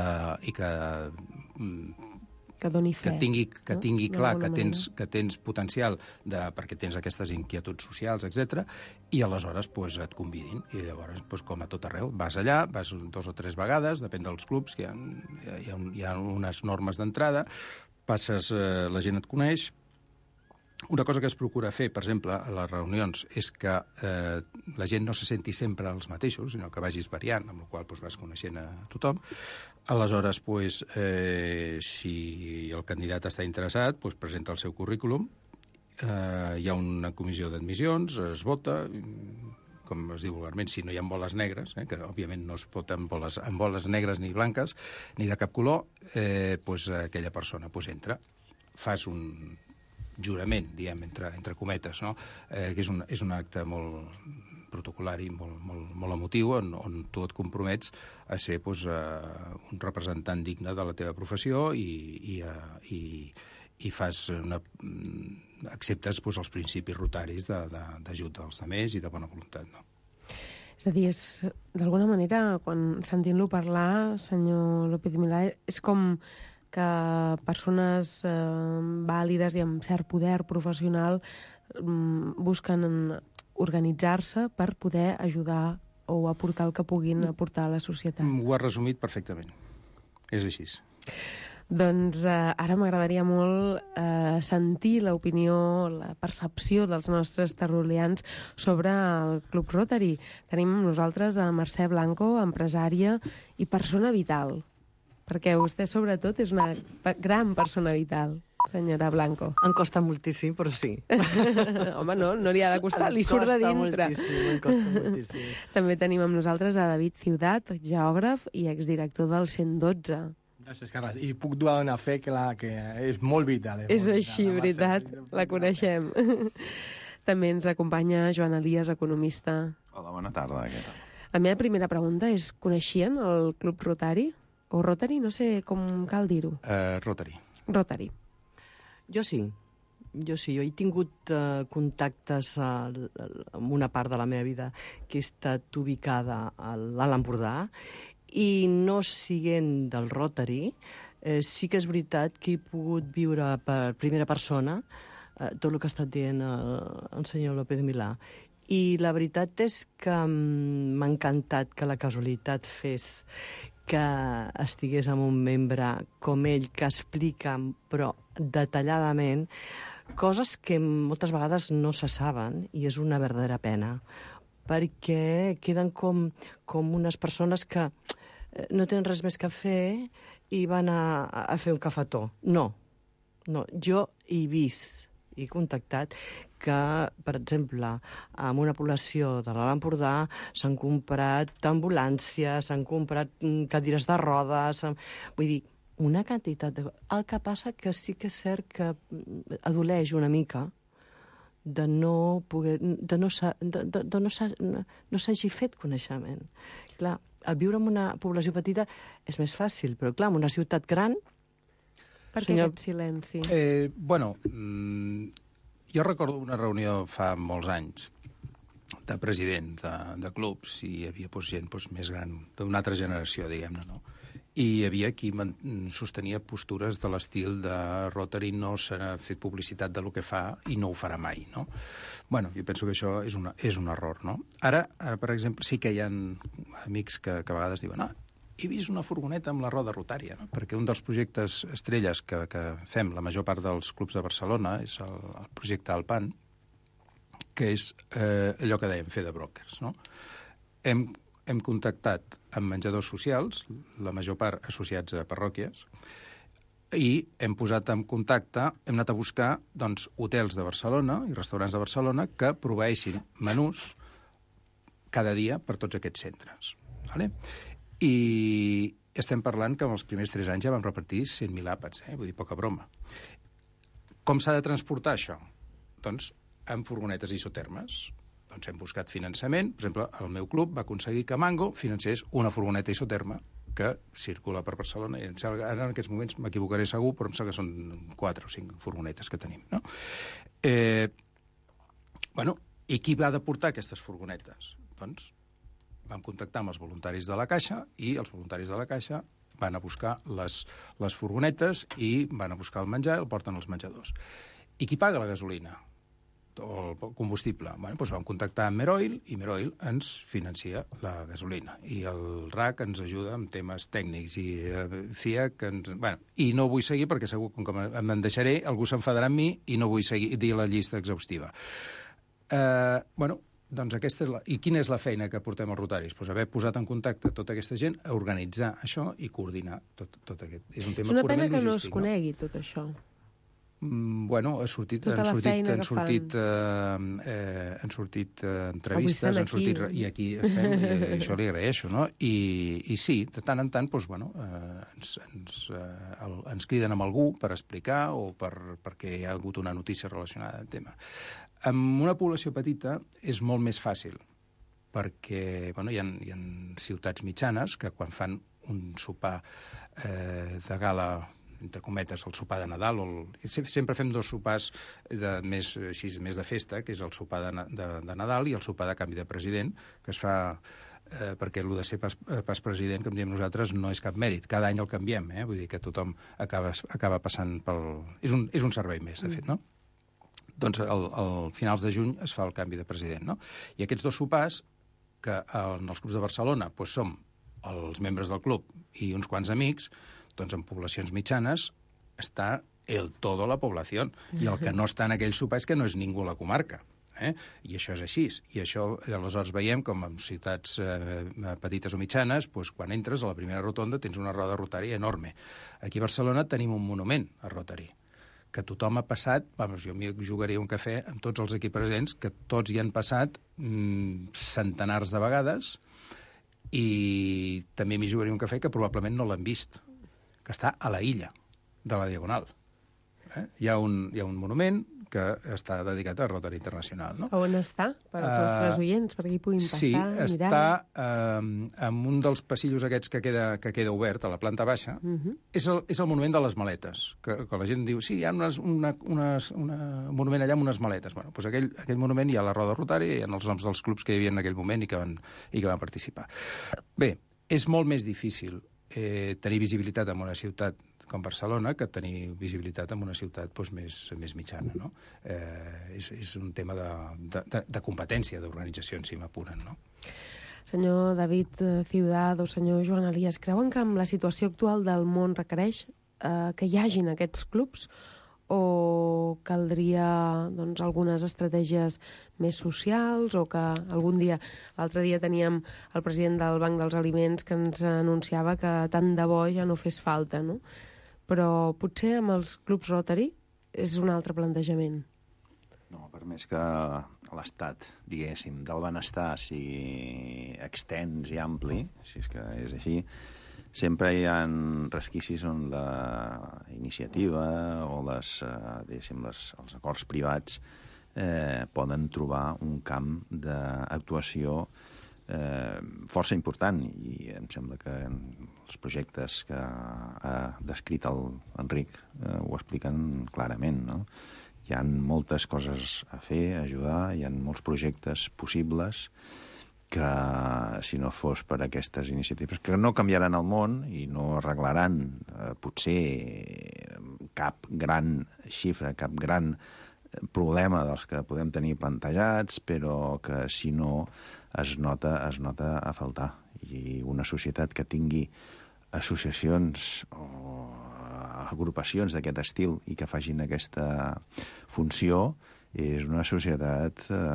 I que que doni fe. Que tingui, que tingui no? clar que tens, que tens potencial de, perquè tens aquestes inquietuds socials, etcètera, i aleshores pues, et convidin. I llavors, pues, com a tot arreu, vas allà, vas dos o tres vegades, depèn dels clubs, hi ha, hi ha, hi ha unes normes d'entrada, passes, eh, la gent et coneix. Una cosa que es procura fer, per exemple, a les reunions, és que eh, la gent no se senti sempre els mateixos, sinó que vagis variant, amb la qual cosa, vas coneixent a tothom. Aleshores, pues, eh, si el candidat està interessat, pues, presenta el seu currículum, eh, hi ha una comissió d'admissions, es vota, com es diu vulgarment, si no hi ha boles negres, eh, que òbviament no es vota amb boles, amb boles negres ni blanques, ni de cap color, eh, pues, aquella persona pues, entra. Fas un jurament, diem, entre, entre cometes, no? eh, que és un, és un acte molt protocolari, molt, molt, molt emotiu, on, on tu et compromets a ser pues, uh, un representant digne de la teva professió i, i, uh, i, i fas una, acceptes pues, els principis rotaris d'ajut als altres i de bona voluntat. No? És a dir, és, d'alguna manera, quan sentint-lo parlar, senyor López Milà, és com que persones eh, vàlides i amb cert poder professional mm, busquen organitzar-se per poder ajudar o aportar el que puguin aportar a la societat. Ho has resumit perfectament. És així. Doncs eh, ara m'agradaria molt eh, sentir l'opinió, la percepció dels nostres tertulians sobre el Club Rotary. Tenim amb nosaltres a Mercè Blanco, empresària i persona vital, perquè vostè, sobretot, és una gran persona vital. senyora Blanco? Em costa moltíssim, però sí. Home, no, no li ha de costar, li surt de dintre. Em costa moltíssim, em costa moltíssim. També tenim amb nosaltres a David Ciutat, geògraf i exdirector del cent dotze. Gràcies, Carles. I puc donar fe que, la, que és molt vital. És, és molt així, vital, veritat, la, la coneixem. També ens acompanya Joan Elias, economista. Hola, bona tarda. Què tal? La meva primera pregunta és, coneixien el Club Rotari? O Rotary, no sé com cal dir-ho. Uh, Rotary. Rotary. Jo sí. Jo sí, jo he tingut uh, contactes uh, amb una part de la meva vida que he estat ubicada a l'Alt Empordà i no siguent del Rotary, eh, sí que és veritat que he pogut viure per primera persona eh, tot el que ha estat dient el, el senyor López Milà. I la veritat és que um, m'ha encantat que la casualitat fes que estigués amb un membre com ell, que explica, però detalladament, coses que moltes vegades no se saben, i és una verdadera pena, perquè queden com, com unes persones que no tenen res més que fer i van a, a fer un cafetó. No, no, jo he vist, he contactat que, per exemple, en una població de l'Alt Empordà s'han comprat ambulàncies, s'han comprat cadires de rodes, vull dir, una quantitat de... El que passa que sí que és cert que adoleix una mica de no poder... de no, de, de, de no, no s'hagi fet coneixement. Clar, el viure en una població petita és més fàcil, però clar, en una ciutat gran... Per què senyor... aquest silenci? Eh, bueno, mmm, jo recordo una reunió fa molts anys de president de, de clubs i hi havia doncs, gent doncs, més gran, d'una altra generació, diguem-ne, no? I hi havia qui sostenia postures de l'estil de Rotary no s'ha fet publicitat de lo que fa i no ho farà mai, no? Bueno, jo penso que això és, una, és un error, no? Ara, ara, per exemple, sí que hi ha amics que, que a vegades diuen ah, he vist una furgoneta amb la roda rotària, no? Perquè un dels projectes estrelles que, que fem la major part dels clubs de Barcelona és el, el projecte Alpan, que és eh, allò que dèiem, fer de brokers, no? Hem hem contactat amb menjadors socials, la major part associats a parròquies, i hem posat en contacte, hem anat a buscar doncs, hotels de Barcelona i restaurants de Barcelona que proveeixin menús cada dia per tots aquests centres. Vale? I estem parlant que en els primers tres anys ja vam repartir cent mil àpats, eh? Vull dir, poca broma. Com s'ha de transportar això? Doncs amb furgonetes isotermes. Doncs hem buscat finançament. Per exemple, el meu club va aconseguir que Mango financés una furgoneta isoterma que circula per Barcelona. I ara en aquests moments m'equivocaré segur, però em sembla que són quatre o cinc furgonetes que tenim, no? Eh, bueno, i qui va de portar aquestes furgonetes? Doncs vam contactar amb els voluntaris de la Caixa i els voluntaris de la Caixa van a buscar les, les furgonetes i van a buscar el menjar i el porten als menjadors. I qui paga la gasolina? O el combustible. Bueno, doncs vam contactar amb Meroil i Meroil ens financia la gasolina. I el R A C ens ajuda amb temes tècnics i eh, F I A C... Ens... Bueno, i no vull seguir perquè segur que me'n deixaré, algú s'enfadarà amb mi i no vull seguir dir la llista exhaustiva. Eh, bueno, doncs aquesta és la... I quina és la feina que portem als rotaris? Pues haver posat en contacte tota aquesta gent a organitzar això i coordinar tot, tot aquest... És un tema és una purament pena que logístic, no es conegui, no? Tot això. Bueno, ha sortit, tota han sortit, han que sortit, eh, eh, han sortit eh, entrevistes, han sortit, aquí. i aquí estem, i, i això li agraeixo, no? I, i sí, de tant en tant, doncs, bueno, eh, ens, ens, eh, el, ens criden amb algú per explicar o per, perquè hi ha hagut una notícia relacionada amb el tema. En una població petita és molt més fàcil, perquè bueno, hi ha, hi ha ciutats mitjanes que quan fan un sopar eh, de gala, entre cometes, el sopar de Nadal, o el... sempre fem dos sopars de, més, així, més de festa, que és el sopar de, de, de Nadal i el sopar de canvi de president, que es fa eh, perquè el de ser pas, pas president, com diem nosaltres, no és cap mèrit. Cada any el canviem, eh? Vull dir que tothom acaba, acaba passant pel... És un, és un servei més, de fet, no? Doncs al, al finals de juny es fa el canvi de president, no? I aquests dos sopars, que en els clubs de Barcelona doncs som els membres del club i uns quants amics, doncs en poblacions mitjanes està el todo la població. I el que no està en aquell sopar és que no és ningú a la comarca. Eh? I això és així. I això aleshores veiem com en ciutats eh, petites o mitjanes, doncs, quan entres a la primera rotonda tens una roda rotària enorme. Aquí a Barcelona tenim un monument a Rotary, que tothom ha passat, vamos, jo m'hi jugaria un cafè amb tots els aquí presents, que tots hi han passat mm, centenars de vegades, i també m'hi jugaria un cafè que probablement no l'han vist, que està a la illa de la Diagonal. Eh? Hi ha un, hi ha un monument que està dedicat a Rotary Internacional. No? On està? Per als nostres oients, perquè hi puguin passar, sí, mirar. Sí, està eh, en un dels passillos aquests que queda, que queda obert, a la planta baixa. Uh -huh. és, el, és el monument de les maletes, que, que la gent diu, sí, hi ha unes, una, unes, una, un monument allà amb unes maletes. Bueno, doncs aquell, aquell monument hi ha la Roda Rotary, hi ha els noms dels clubs que hi havia en aquell moment i que van, i que van participar. Bé, és molt més difícil eh, tenir visibilitat en una ciutat com Barcelona, que tenir visibilitat en una ciutat doncs, més, més mitjana. No? Eh, és, és un tema de, de, de competència, d'organització, si m'apuren. No? Senyor David Ciudad o senyor Joan Elias, creuen que amb la situació actual del món requereix eh, que hi hagin aquests clubs o caldria doncs, algunes estratègies més socials o que algun dia, l'altre dia teníem el president del Banc dels Aliments que ens anunciava que tant de bo ja no fes falta, no? Però potser amb els clubs Rotary és un altre plantejament. No, per més que l'estat, diguéssim, del benestar sigui extens i ampli, si és que és així, sempre hi ha resquicis on la iniciativa o les, diguéssim, les, els acords privats eh, poden trobar un camp d'actuació eh, força important, i em sembla que els projectes que ha descrit l'Enric eh, ho expliquen clarament, no? Hi ha moltes coses a fer, a ajudar, hi ha molts projectes possibles que, si no fos per aquestes iniciatives, que no canviaran el món i no arreglaran eh, potser cap gran xifra, cap gran problema dels que podem tenir plantejats, però que, si no, es nota, es nota a faltar. I una societat que tingui associacions o agrupacions d'aquest estil i que facin aquesta funció és una societat eh,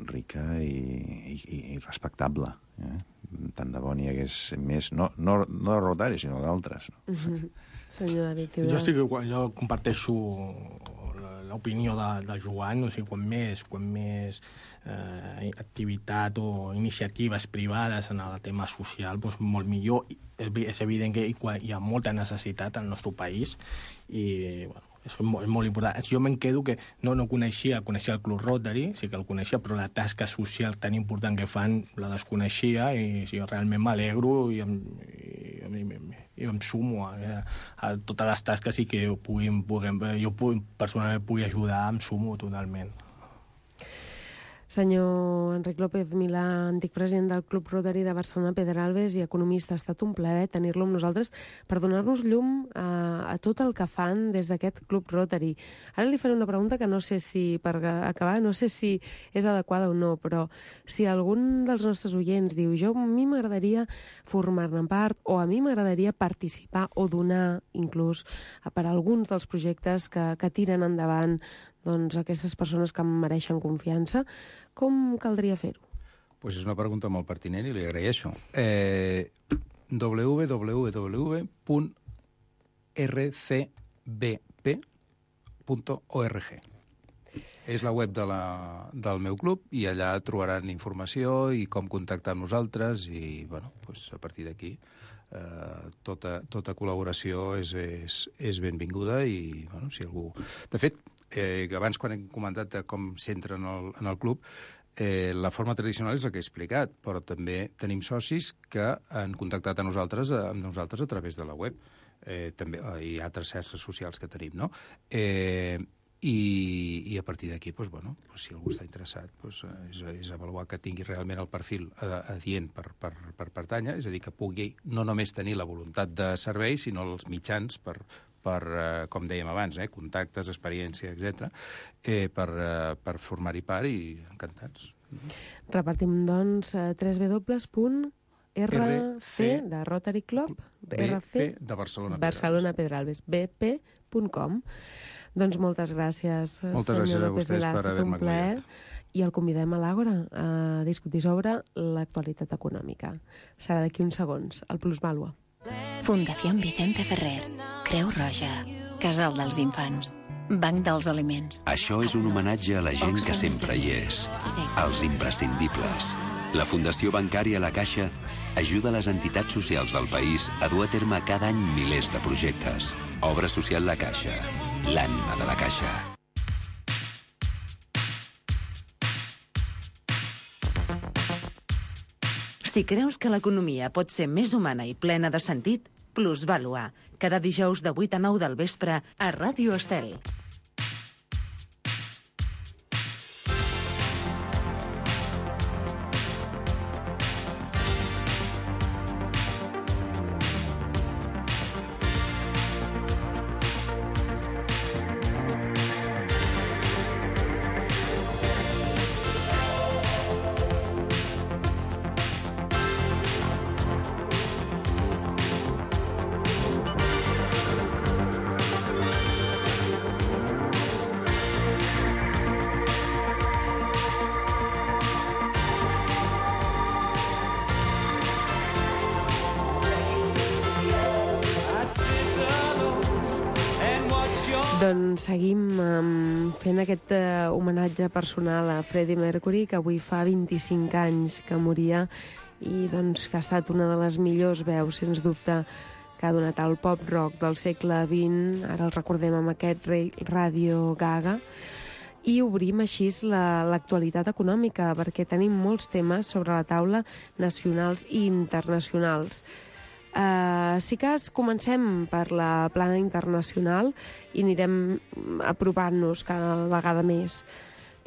rica i, i, i respectable. Eh? Tant de bo n'hi hagués més, no, no, no de Rotary, sinó d'altres. No? Mm-hmm. Senyor David, jo, estic, jo comparteixo l'opinió de, de Joan, o sigui, quan més, quan més eh, activitat o iniciatives privades en el tema social, doncs molt millor. És evident que hi ha molta necessitat al nostre país i, bueno, és molt, és molt important. Jo me'n quedo que no, no coneixia, coneixia el Club Rotary, sí que el coneixia, però la tasca social tan important que fan la desconeixia i sí, realment m'alegro i, i, i, i em sumo a, a totes les tasques i que jo, pugui, puguem, jo pugui, personalment pugui ajudar, em sumo totalment. Senyor Enric López Milà, antic president del Club Rotary de Barcelona Pedralbes i economista, ha estat un plaer tenir-lo amb nosaltres per donar-nos llum a, a tot el que fan des d'aquest Club Rotary. Ara li faré una pregunta que no sé si, per acabar, no sé si és adequada o no, però si algun dels nostres oients diu jo a mi m'agradaria formar-ne part o a mi m'agradaria participar o donar inclús per alguns dels projectes que, que tiren endavant doncs, aquestes persones que em mereixen confiança, com caldria fer-ho? Pues és una pregunta molt pertinent i li agraeixo. Eh, w w w punt r c b p punt org és la web de la, del meu club i allà trobaran informació i com contactar amb nosaltres i, bueno, pues a partir d'aquí eh, tota, tota col·laboració és, és, és benvinguda i, bueno, si algú... De fet, Eh, abans, quan hem comentat de com s'entra en, el, en el club, eh, la forma tradicional és la que he explicat, però també tenim socis que han contactat a nosaltres, a, amb nosaltres a través de la web. Eh, també eh, hi ha altres xarxes socials que tenim, no? Eh, i, i a partir d'aquí, doncs, bueno, doncs, si algú està interessat, doncs, és, és avaluar que tingui realment el perfil adient per, per, per pertànyer, és a dir, que pugui no només tenir la voluntat de servei, sinó els mitjans per per, eh, com dèiem abans, eh, contactes, experiència, etcètera, eh, per, eh, per formar-hi part i encantats. Repartim, doncs, w w w punt r c de Rotary Club, R C de Barcelona, Barcelona Pedralbes, b p punt com. Doncs moltes gràcies, moltes gràcies a vostès per haver-me acompanyat. I el convidem a l'Àgora a discutir sobre l'actualitat econòmica. Serà d'aquí uns segons, el Plusvàlua. Fundació Vicente Ferrer, Creu Roja, Casal dels Infants. Banc dels Aliments. Això és un homenatge a la gent que sempre hi és. Sí. Els imprescindibles. La Fundació Bancària La Caixa ajuda les entitats socials del país a dur a terme cada any milers de projectes. Obra social La Caixa. L'ànima de la Caixa. Si creus que l'economia pot ser més humana i plena de sentit, Plusvàlua, cada dijous de vuit a nou del vespre a Ràdio Estel. Doncs seguim um, fent aquest uh, homenatge personal a Freddie Mercury, que avui fa vint-i-cinc anys que moria i doncs, que ha estat una de les millors veus, sens dubte, que ha donat el pop-rock del segle vint. Ara el recordem amb aquest Radio Gaga. I obrim així l'actualitat la, econòmica, perquè tenim molts temes sobre la taula nacionals i internacionals. Uh, sí que comencem per la plana internacional i anirem apropant-nos cada vegada més,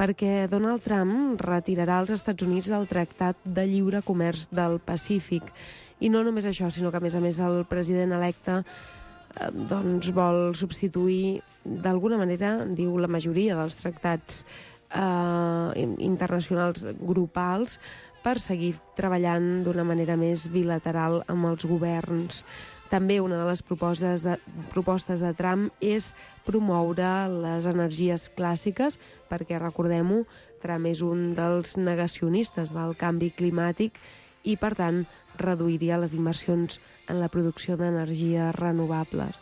perquè Donald Trump retirarà els Estats Units del Tractat de Lliure Comerç del Pacífic. I no només això, sinó que a més a més el president electe eh, doncs vol substituir d'alguna manera, diu la majoria dels tractats eh, internacionals grupals, per seguir treballant d'una manera més bilateral amb els governs. També una de les propostes de, propostes de Trump és promoure les energies clàssiques, perquè, recordem-ho, Trump és un dels negacionistes del canvi climàtic i, per tant, reduiria les inversions en la producció d'energies renovables.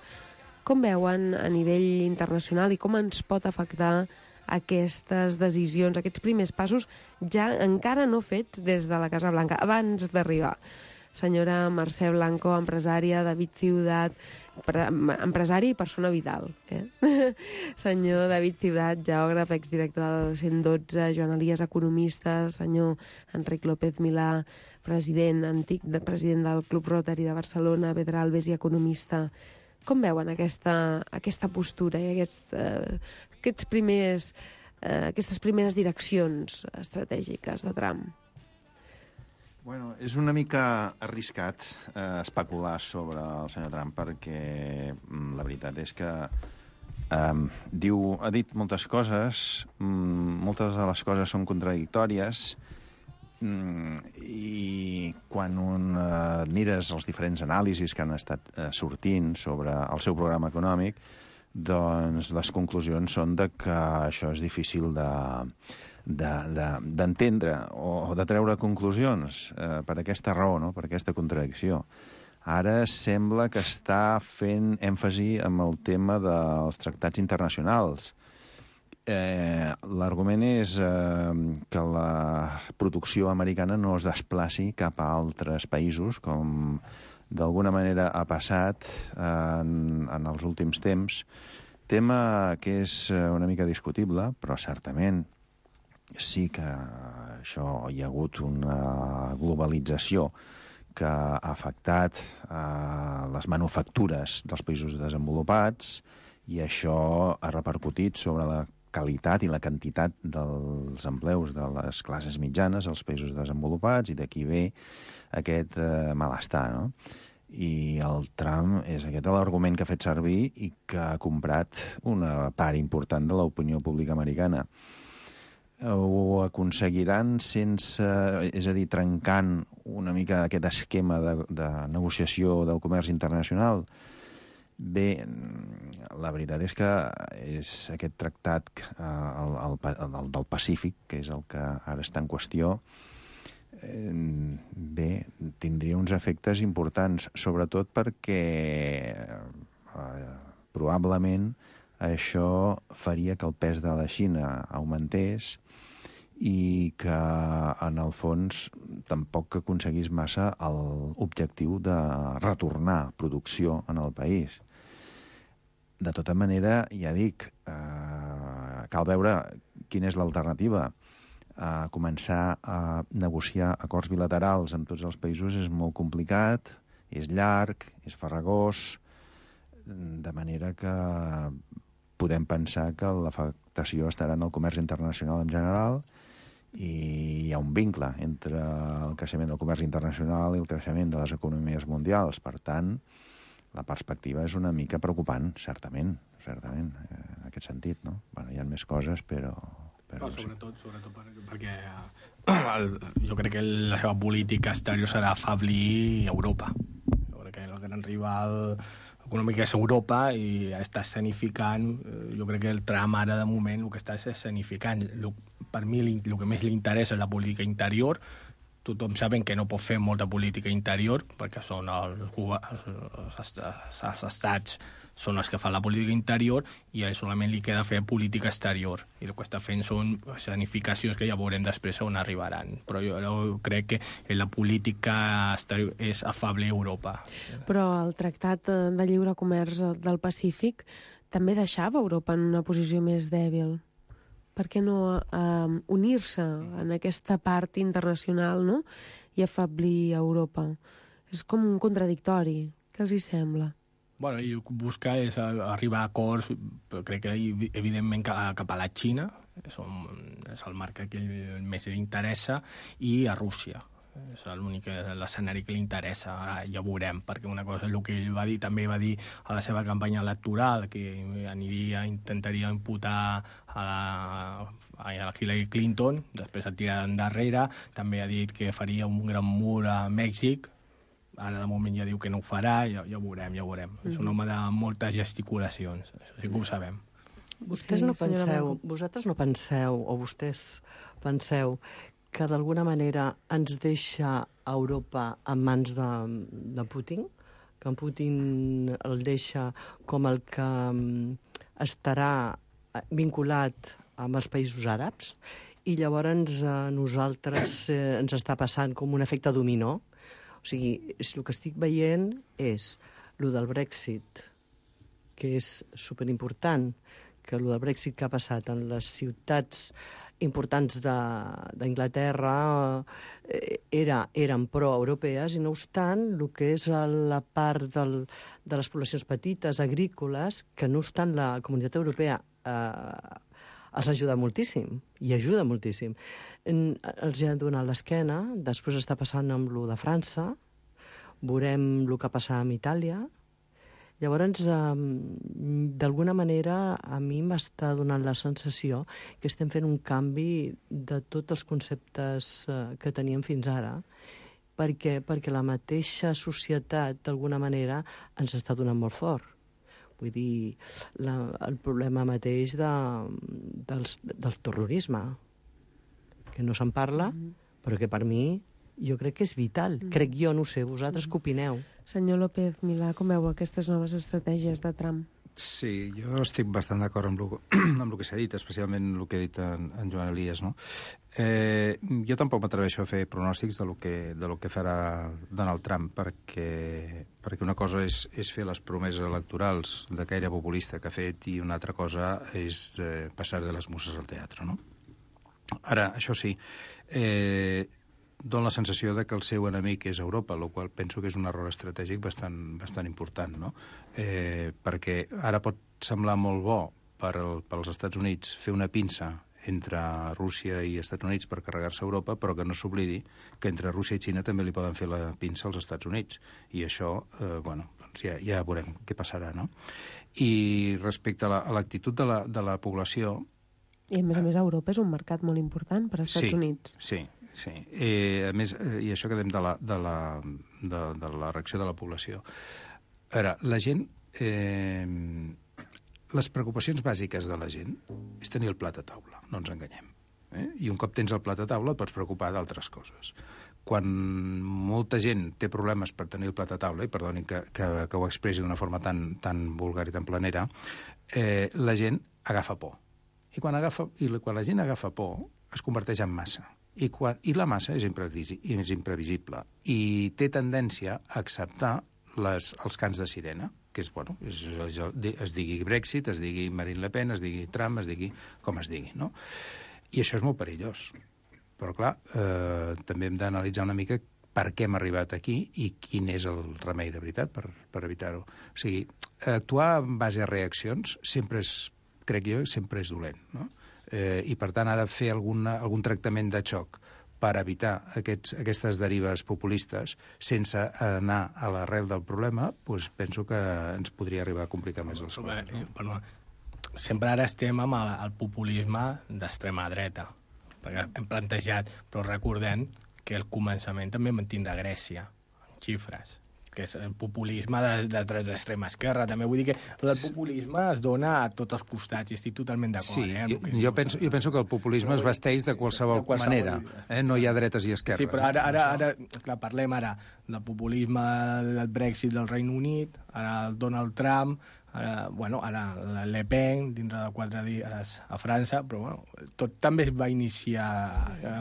Com veuen a nivell internacional i com ens pot afectar aquestes decisions, aquests primers passos ja encara no fets des de la Casa Blanca, abans d'arribar? Senyora Mercè Blanco, empresària, David Ciutat, empresari i persona vital. Eh? Senyor David Ciutat, geògraf, exdirector del cent dotze, Joan Elias, economista, senyor Enric López Milà, president, antic de, president del Club Rotary de Barcelona, Pedralbes i economista. Com veuen aquesta, aquesta postura i aquests, eh, aquests primers, eh, aquestes primeres direccions estratègiques de Trump? Bueno, és una mica arriscat eh, especular sobre el senyor Trump perquè mm, la veritat és que eh, diu, ha dit moltes coses, mm, moltes de les coses són contradictòries, mm, i quan un eh, mires els diferents anàlisis que han estat eh, sortint sobre el seu programa econòmic, doncs les conclusions són de que això és difícil de... d'entendre de, de, o de treure conclusions eh, per aquesta raó, no? Per aquesta contradicció. Ara sembla que està fent èmfasi en el tema dels tractats internacionals. Eh, L'argument és eh, que la producció americana no es desplaci cap a altres països, com d'alguna manera ha passat en, en els últims temps. Tema que és una mica discutible, però certament sí que això hi ha hagut una globalització que ha afectat eh, les manufactures dels països desenvolupats i això ha repercutit sobre la qualitat i la quantitat dels empleus de les classes mitjanes als països desenvolupats i d'aquí ve aquest eh, malestar, no? I el Trump és aquest l'argument que ha fet servir i que ha comprat una part important de l'opinió pública americana. Ho aconseguiran sense, és a dir, trencant una mica aquest esquema de, de negociació del comerç internacional? Bé, la veritat és que és aquest tractat eh, el, el, el del Pacífic, que és el que ara està en qüestió, eh, bé, tindria uns efectes importants, sobretot perquè eh, probablement això faria que el pes de la Xina augmentés i que, en el fons, tampoc aconseguís massa l'objectiu de retornar producció en el país. De tota manera, ja dic, eh, cal veure quina és l'alternativa. Eh, començar a negociar acords bilaterals amb tots els països és molt complicat, és llarg, és farragós, de manera que podem pensar que l'afectació estarà en el comerç internacional en general i hi ha un vincle entre el creixement del comerç internacional i el creixement de les economies mundials. Per tant, la perspectiva és una mica preocupant, certament, certament, en aquest sentit, no? Bueno, hi ha més coses, però... però no, sobretot, sobretot per, perquè el, jo crec que la seva política exterior serà afablir Europa. Jo crec que el gran rival econòmic és Europa i està escenificant, jo crec que el Trump ara de moment el que està és escenificant. Per mi el que més li interessa és la política interior. Tothom saben que no pot fer molta política interior perquè són els, els, els, els estats són els que fan la política interior i a ell solament li queda fer política exterior i el que està fent són escenificacions que ja veurem després on arribaran, però jo crec que la política exterior és afable a Europa. Però el Tractat de Lliure Comerç del Pacífic també deixava Europa en una posició més dèbil. Per què no eh, unir-se en aquesta part internacional, no? I afablir Europa? És com un contradictori. Què els hi sembla? Bueno, i buscar és arribar a acords, crec que evidentment cap a la Xina, és el marc que més li interessa, i a Rússia. És l'únic l'escenari que li interessa. Ara ja veurem, perquè una cosa és el que ell va dir, també va dir a la seva campanya electoral, que aniria, intentaria imputar a la, a la Hillary Clinton, després ha tirat endarrere, també ha dit que faria un gran mur a Mèxic, ara de moment ja diu que no ho farà, ja, ja ho veurem, ja ho veurem. Mm-hmm. És un home de moltes gesticulacions, això sí que ho sabem. Vostès no penseu, vosaltres no penseu, o vostès penseu, que d'alguna manera ens deixa Europa en mans de, de Putin, que en Putin el deixa com el que estarà vinculat amb els països àrabs, i llavors a nosaltres eh, ens està passant com un efecte dominó. O sigui, el que estic veient és el del Brexit, que és superimportant, que el del Brexit que ha passat en les ciutats importants d'Anglaterra eh, era, eren pro-europees i no obstant el que és la part del, de les poblacions petites, agrícoles, que no obstant la comunitat europea eh, els ajuda moltíssim, i ajuda moltíssim. En, els ha donat l'esquena, després està passant amb lo de França, veurem el que passa amb Itàlia. Llavors, eh, d'alguna manera, a mi m'està donant la sensació que estem fent un canvi de tots els conceptes eh, que teníem fins ara, perquè, perquè la mateixa societat, d'alguna manera, ens està donant molt fort. Vull dir, la, el problema mateix de, del, del terrorisme, que no se'n parla, però que per mi jo crec que és vital. Mm. Crec jo, no ho sé, vosaltres què opineu? Senyor López Milà, com veu aquestes noves estratègies de Trump? Sí, jo estic bastant d'acord amb el, amb el que s'ha dit, especialment el que ha dit en, en Joan Elias, no? Eh, jo tampoc m'atreveixo a fer pronòstics de lo que, de lo que farà Donald Trump, perquè, perquè una cosa és, és fer les promeses electorals de caire populista que ha fet i una altra cosa és eh, passar de les muses al teatre, no? Ara, això sí, eh, dona la sensació de que el seu enemic és Europa, el qual penso que és un error estratègic bastant, bastant important, no? Eh, perquè ara pot semblar molt bo per, el, per als Estats Units fer una pinça entre Rússia i Estats Units per carregar-se a Europa, però que no s'oblidi que entre Rússia i Xina també li poden fer la pinça als Estats Units. I això, eh, bueno, doncs ja, ja veurem què passarà, no? I respecte a l'actitud la, de, la, de la població... I a més a més Europa és un mercat molt important per als Estats sí, Units. Sí, sí. Eh, a més, eh, i això que dèiem de la, de, la, de, de la reacció de la població. A veure, la gent... Eh, les preocupacions bàsiques de la gent és tenir el plat a taula, no ens enganyem. Eh? I un cop tens el plat a taula et pots preocupar d'altres coses. quan molta gent té problemes per tenir el plat a taula, i perdonin que, que, que ho expressi d'una forma tan, tan vulgar i tan planera, eh, la gent agafa por. I quan, agafa, i quan la gent agafa por, es converteix en massa. I, quan, i la massa és, imprevisi, és imprevisible. I té tendència a acceptar les, els cants de sirena, que és, bueno, és, és, es digui Brexit, es digui Marine Le Pen, es digui Trump, es digui com es digui, no? I això és molt perillós. Però, clar, eh, també hem d'analitzar una mica per què hem arribat aquí i quin és el remei de veritat per, per evitar-ho. O sigui, actuar en base a reaccions sempre és, crec jo, sempre és dolent, no? Eh, I, per tant, ha de fer alguna, algun tractament de xoc per evitar aquests, aquestes derives populistes sense anar a l'arrel del problema, doncs penso que ens podria arribar a complicar més les coses. No? Perdó. Sempre ara estem amb el, el populisme d'extrema dreta, perquè hem plantejat, però recordem que el començament també mantindrà Grècia, en xifres, que és el populisme de, de, de l'extrema esquerra. També vull dir que el populisme es dona a tots els costats, i estic totalment d'acord. Sí, eh, jo, jo, penso, jo penso que el populisme es vesteix de qualsevol, de qualsevol manera. Eh? No hi ha dretes i esquerres. Sí, però ara, ara, ara clar, parlem ara del populisme del Brexit del Regne Unit, ara el Donald Trump, ara, bueno, ara la Le Pen, dintre de quatre dies a França, però bueno, tot també es va iniciar,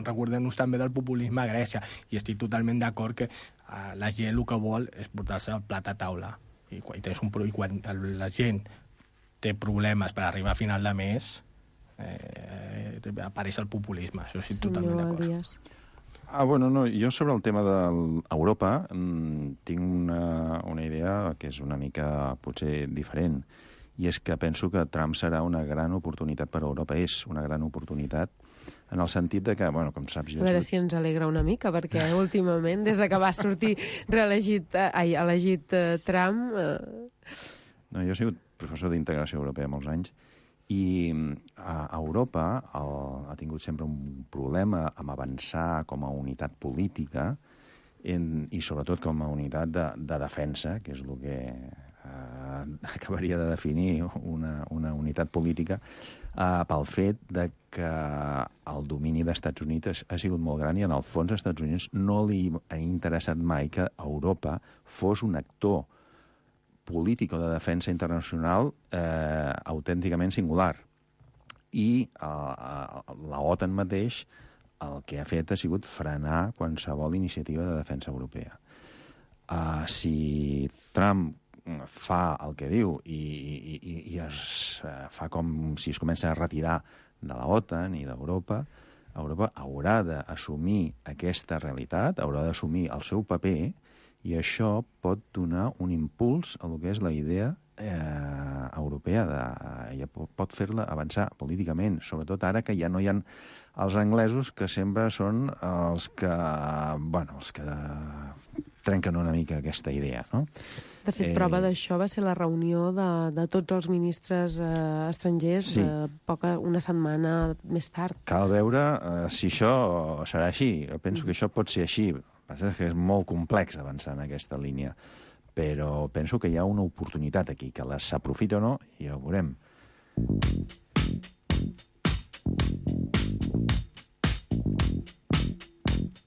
recordem-nos també del populisme a Grècia, i estic totalment d'acord que uh, la gent el que vol és portar-se el plat a taula, i quan, i tens un, i quan la gent té problemes per arribar a final de mes, eh, apareix el populisme, això sí, totalment d'acord. Ah, bueno, no, jo sobre el tema d'Europa mmm, tinc una, una idea que és una mica potser diferent, i és que penso que Trump serà una gran oportunitat per a Europa. És una gran oportunitat en el sentit de que, bueno, com saps... Jo a veure si ens alegra una mica, perquè últimament, des de que va sortir reelegit, ai, elegit uh, Trump... Uh... No, jo he sigut professor d'integració europea molts anys, i a Europa el, ha tingut sempre un problema amb avançar com a unitat política en, i sobretot com a unitat de, de defensa, que és el que eh, acabaria de definir una, una unitat política, eh, pel fet de que el domini dels Estats Units ha sigut molt gran, i en el fons als Estats Units no li ha interessat mai que Europa fos un actor polític o de defensa internacional eh, autènticament singular. I eh, la OTAN mateix el que ha fet ha sigut frenar qualsevol iniciativa de defensa europea. Uh, si Trump fa el que diu i, i, i es uh, fa com si es comença a retirar de la OTAN i d'Europa, Europa haurà d'assumir aquesta realitat, haurà d'assumir el seu paper, i això pot donar un impuls a el que és la idea eh, europea, de, ja pot fer-la avançar políticament, sobretot ara que ja no hi ha els anglesos, que sempre són els que, bueno, els que trenquen una mica aquesta idea, no? De fet, eh... prova d'això va ser la reunió de, de tots els ministres eh, estrangers sí. eh, poca, una setmana més tard. Cal veure eh, si això serà així. Jo penso que això pot ser així. El que passa és que és molt complex avançar en aquesta línia, però penso que hi ha una oportunitat aquí, que la s'aprofita o no, i ja ho veurem.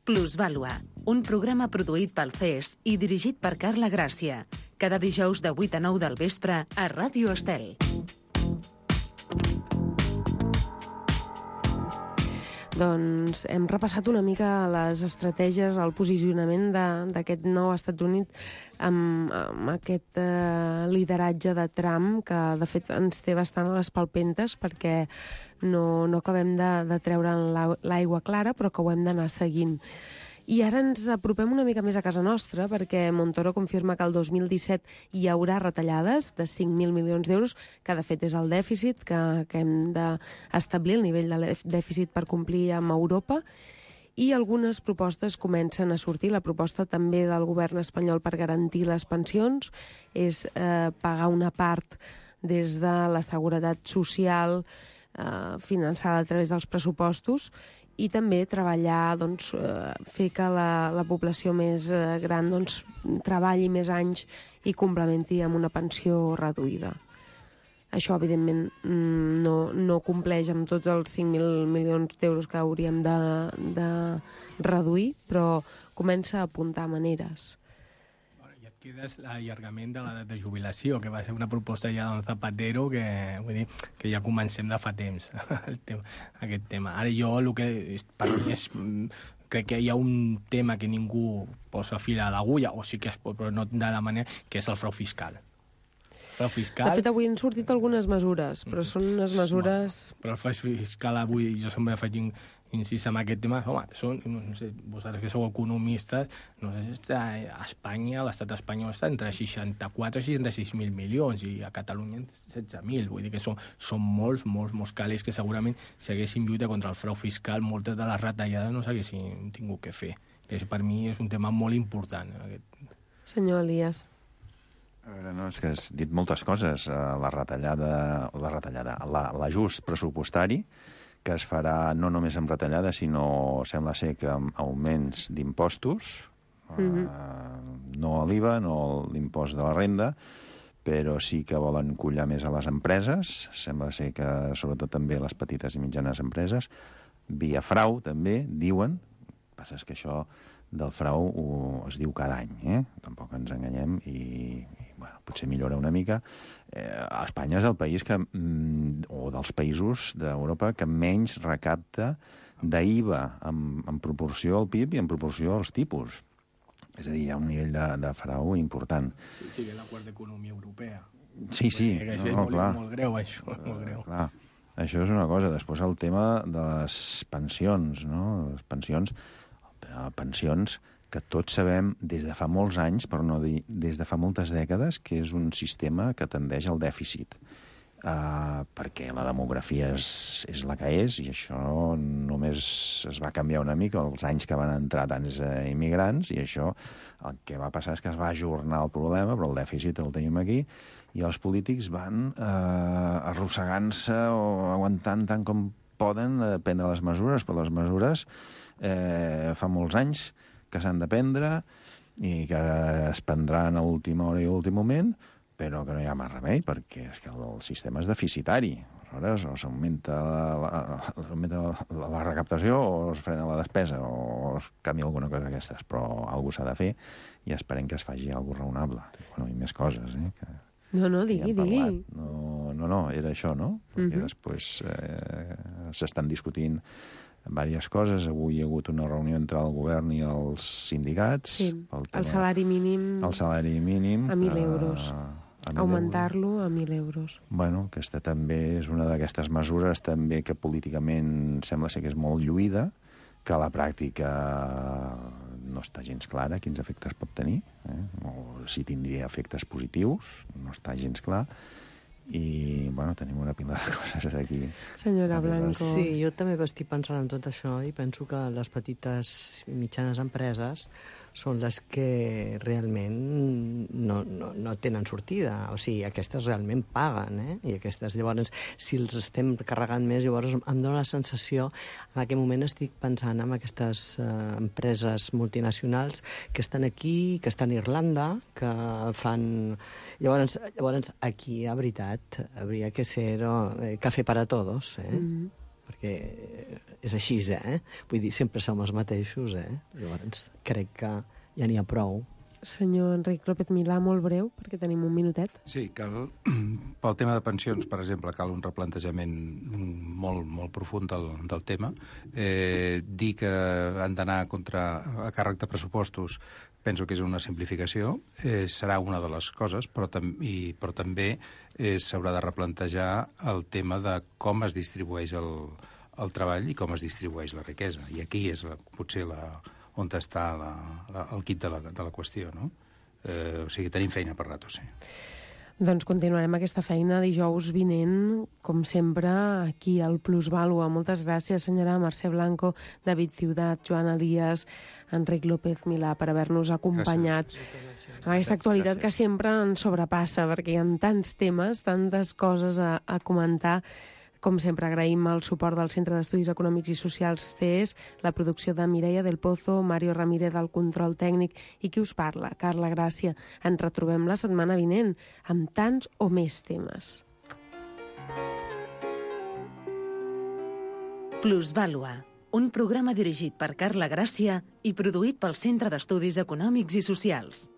Plusvàlua, un programa produït pel C E S i dirigit per Carla Gràcia, cada dijous de vuit a nou del vespre a Ràdio Estel. Doncs hem repassat una mica les estratègies, el posicionament d'aquest nou Estats Units amb, amb aquest eh, lideratge de Trump, que de fet ens té bastant a les palpentes perquè no, no acabem de, de treure l'aigua clara, però que ho hem d'anar seguint. I ara ens apropem una mica més a casa nostra, perquè Montoro confirma que el dos mil disset hi haurà retallades de cinc mil milions d'euros, que de fet és el dèficit que, que hem d'establir, el nivell de dèficit per complir amb Europa, i algunes propostes comencen a sortir. La proposta també del govern espanyol per garantir les pensions és eh, pagar una part des de la seguretat social eh, finançada a través dels pressupostos, i també treballar, doncs, eh, fer que la, la població més eh, gran doncs, treballi més anys i complementi amb una pensió reduïda. Això, evidentment, no, no compleix amb tots els cinc mil milions d'euros que hauríem de, de reduir, però comença a apuntar maneres. Queda l'allargament de l'edat de jubilació, que va ser una proposta ja d'un Zapatero, que, vull dir, que ja comencem de fa temps, el tema, aquest tema. Ara jo, el que és, per mi és, crec que hi ha un tema que ningú posa fil a l'agulla, o sí que es pot, però no de la manera, que és el frau fiscal. Frau fiscal... De fet, avui han sortit algunes mesures, però són unes mesures... Però el frau fiscal avui, jo sempre faig incís en aquest tema, home, són, no sé, vosaltres que sou economistes, no sé si està a Espanya, l'estat espanyol està entre seixanta-quatre i seixanta-sis mil milions, i a Catalunya setze mil, vull dir que són, són molts, molts, molts calés que segurament si haguessin lluita contra el frau fiscal, moltes de les retallades no s'haguessin tingut que fer. Que per mi és un tema molt important. Aquest... Senyor Elias. A veure, no, és que has dit moltes coses. La retallada, la retallada, l'ajust pressupostari, que es farà no només amb retallada, sinó, sembla ser que amb augments d'impostos, mm-hmm. eh, no a l'I V A, no l'impost de la renda, però sí que volen collar més a les empreses, sembla ser que sobretot també a les petites i mitjanes empreses, via frau també, diuen, el que passa és que això del frau ho, es diu cada any, eh? Tampoc ens enganyem i, i bueno, potser millora una mica. Eh, Espanya és el país que, mm, o dels països d'Europa que menys recapta d'I V A en, en proporció al P I B i en proporció als tipus. És a dir, hi ha un nivell de, de frau important. Sí, sí, la quarta economia europea. Sí, sí, no, no, no, molt, clar. Molt greu, això, molt greu. Uh, clar. Això és una cosa. Després el tema de les pensions, no? Les pensions, pensions que tots sabem des de fa molts anys, per no dir des de fa moltes dècades, que és un sistema que tendeix al dèficit. Uh, perquè la demografia és, és la que és, i això només es va canviar una mica els anys que van entrar tants uh, immigrants, i això el que va passar és que es va ajornar el problema, però el dèficit el tenim aquí, i els polítics van uh, arrossegant-se o aguantant tant com poden uh, prendre les mesures, però les mesures eh, fa molts anys que s'han de prendre i que es prendran a l'última hora i a l'últim moment, però que no hi ha més remei, perquè és que el, el sistema és deficitari. Aleshores, o s'augmenta la, la, la, la recaptació o es frena la despesa o es canvia alguna cosa d'aquestes, però alguna cosa s'ha de fer i esperem que es faci alguna cosa raonable. Bueno, i més coses, eh? Que, no, no, digui, digui. No, no, no, era això, no? Perquè uh-huh. després eh, s'estan discutint diverses coses. Avui hi ha hagut una reunió entre el govern i els sindicats. Sí, el, el salari mínim... El salari mínim... A mil euros. A, a augmentar-lo a mil euros. Bueno, aquesta també és una d'aquestes mesures també que políticament sembla ser que és molt lluïda, que a la pràctica no està gens clara quins efectes pot tenir, eh? O si tindria efectes positius, no està gens clar. I, bueno, tenim una pila de coses aquí. Senyora Blanco. Sí, jo també estic pensant en tot això i penso que les petites i mitjanes empreses són les que realment no, no, no tenen sortida. O sigui, aquestes realment paguen, eh? I aquestes, llavors, si els estem carregant més, llavors em dóna la sensació, en aquest moment estic pensant en aquestes eh, empreses multinacionals que estan aquí, que estan a Irlanda, que fan... Llavors, llavors aquí, a veritat, hauria que ser oh, eh, cafè per a tots, eh? Mm-hmm. Perquè és així, eh? Vull dir, sempre som els mateixos, eh? Llavors, crec que ja n'hi ha prou. Senyor Enric López Milà, molt breu, perquè tenim un minutet. Sí, cal, pel tema de pensions, per exemple, cal un replantejament molt, molt profund del, del tema. Eh, dir que han d'anar contra a càrrec de pressupostos penso que és una simplificació, eh, serà una de les coses, però, tam i, però també eh, s'haurà de replantejar el tema de com es distribueix el, el treball i com es distribueix la riquesa. I aquí és la, potser la, on està la, la, el quid de la, de la qüestió, no? Eh, o sigui, tenim feina per rato, sí. Doncs continuarem aquesta feina dijous vinent, com sempre, aquí al Plusvàlua. Moltes gràcies, senyora Mercè Blanco, David Ciutat, Joan Elias, Enric López Milà, per haver-nos acompanyat en aquesta actualitat que sempre ens sobrepassa, perquè hi ha tants temes, tantes coses a, a comentar. Com sempre, agraïm el suport del Centre d'Estudis Econòmics i Socials C E S, la producció de Mireia del Pozo, Mario Ramírez del control tècnic i qui us parla, Carla Gràcia. Ens retrobem la setmana vinent amb tants o més temes. Plusvàlua, un programa dirigit per Carla Gràcia i produït pel Centre d'Estudis Econòmics i Socials.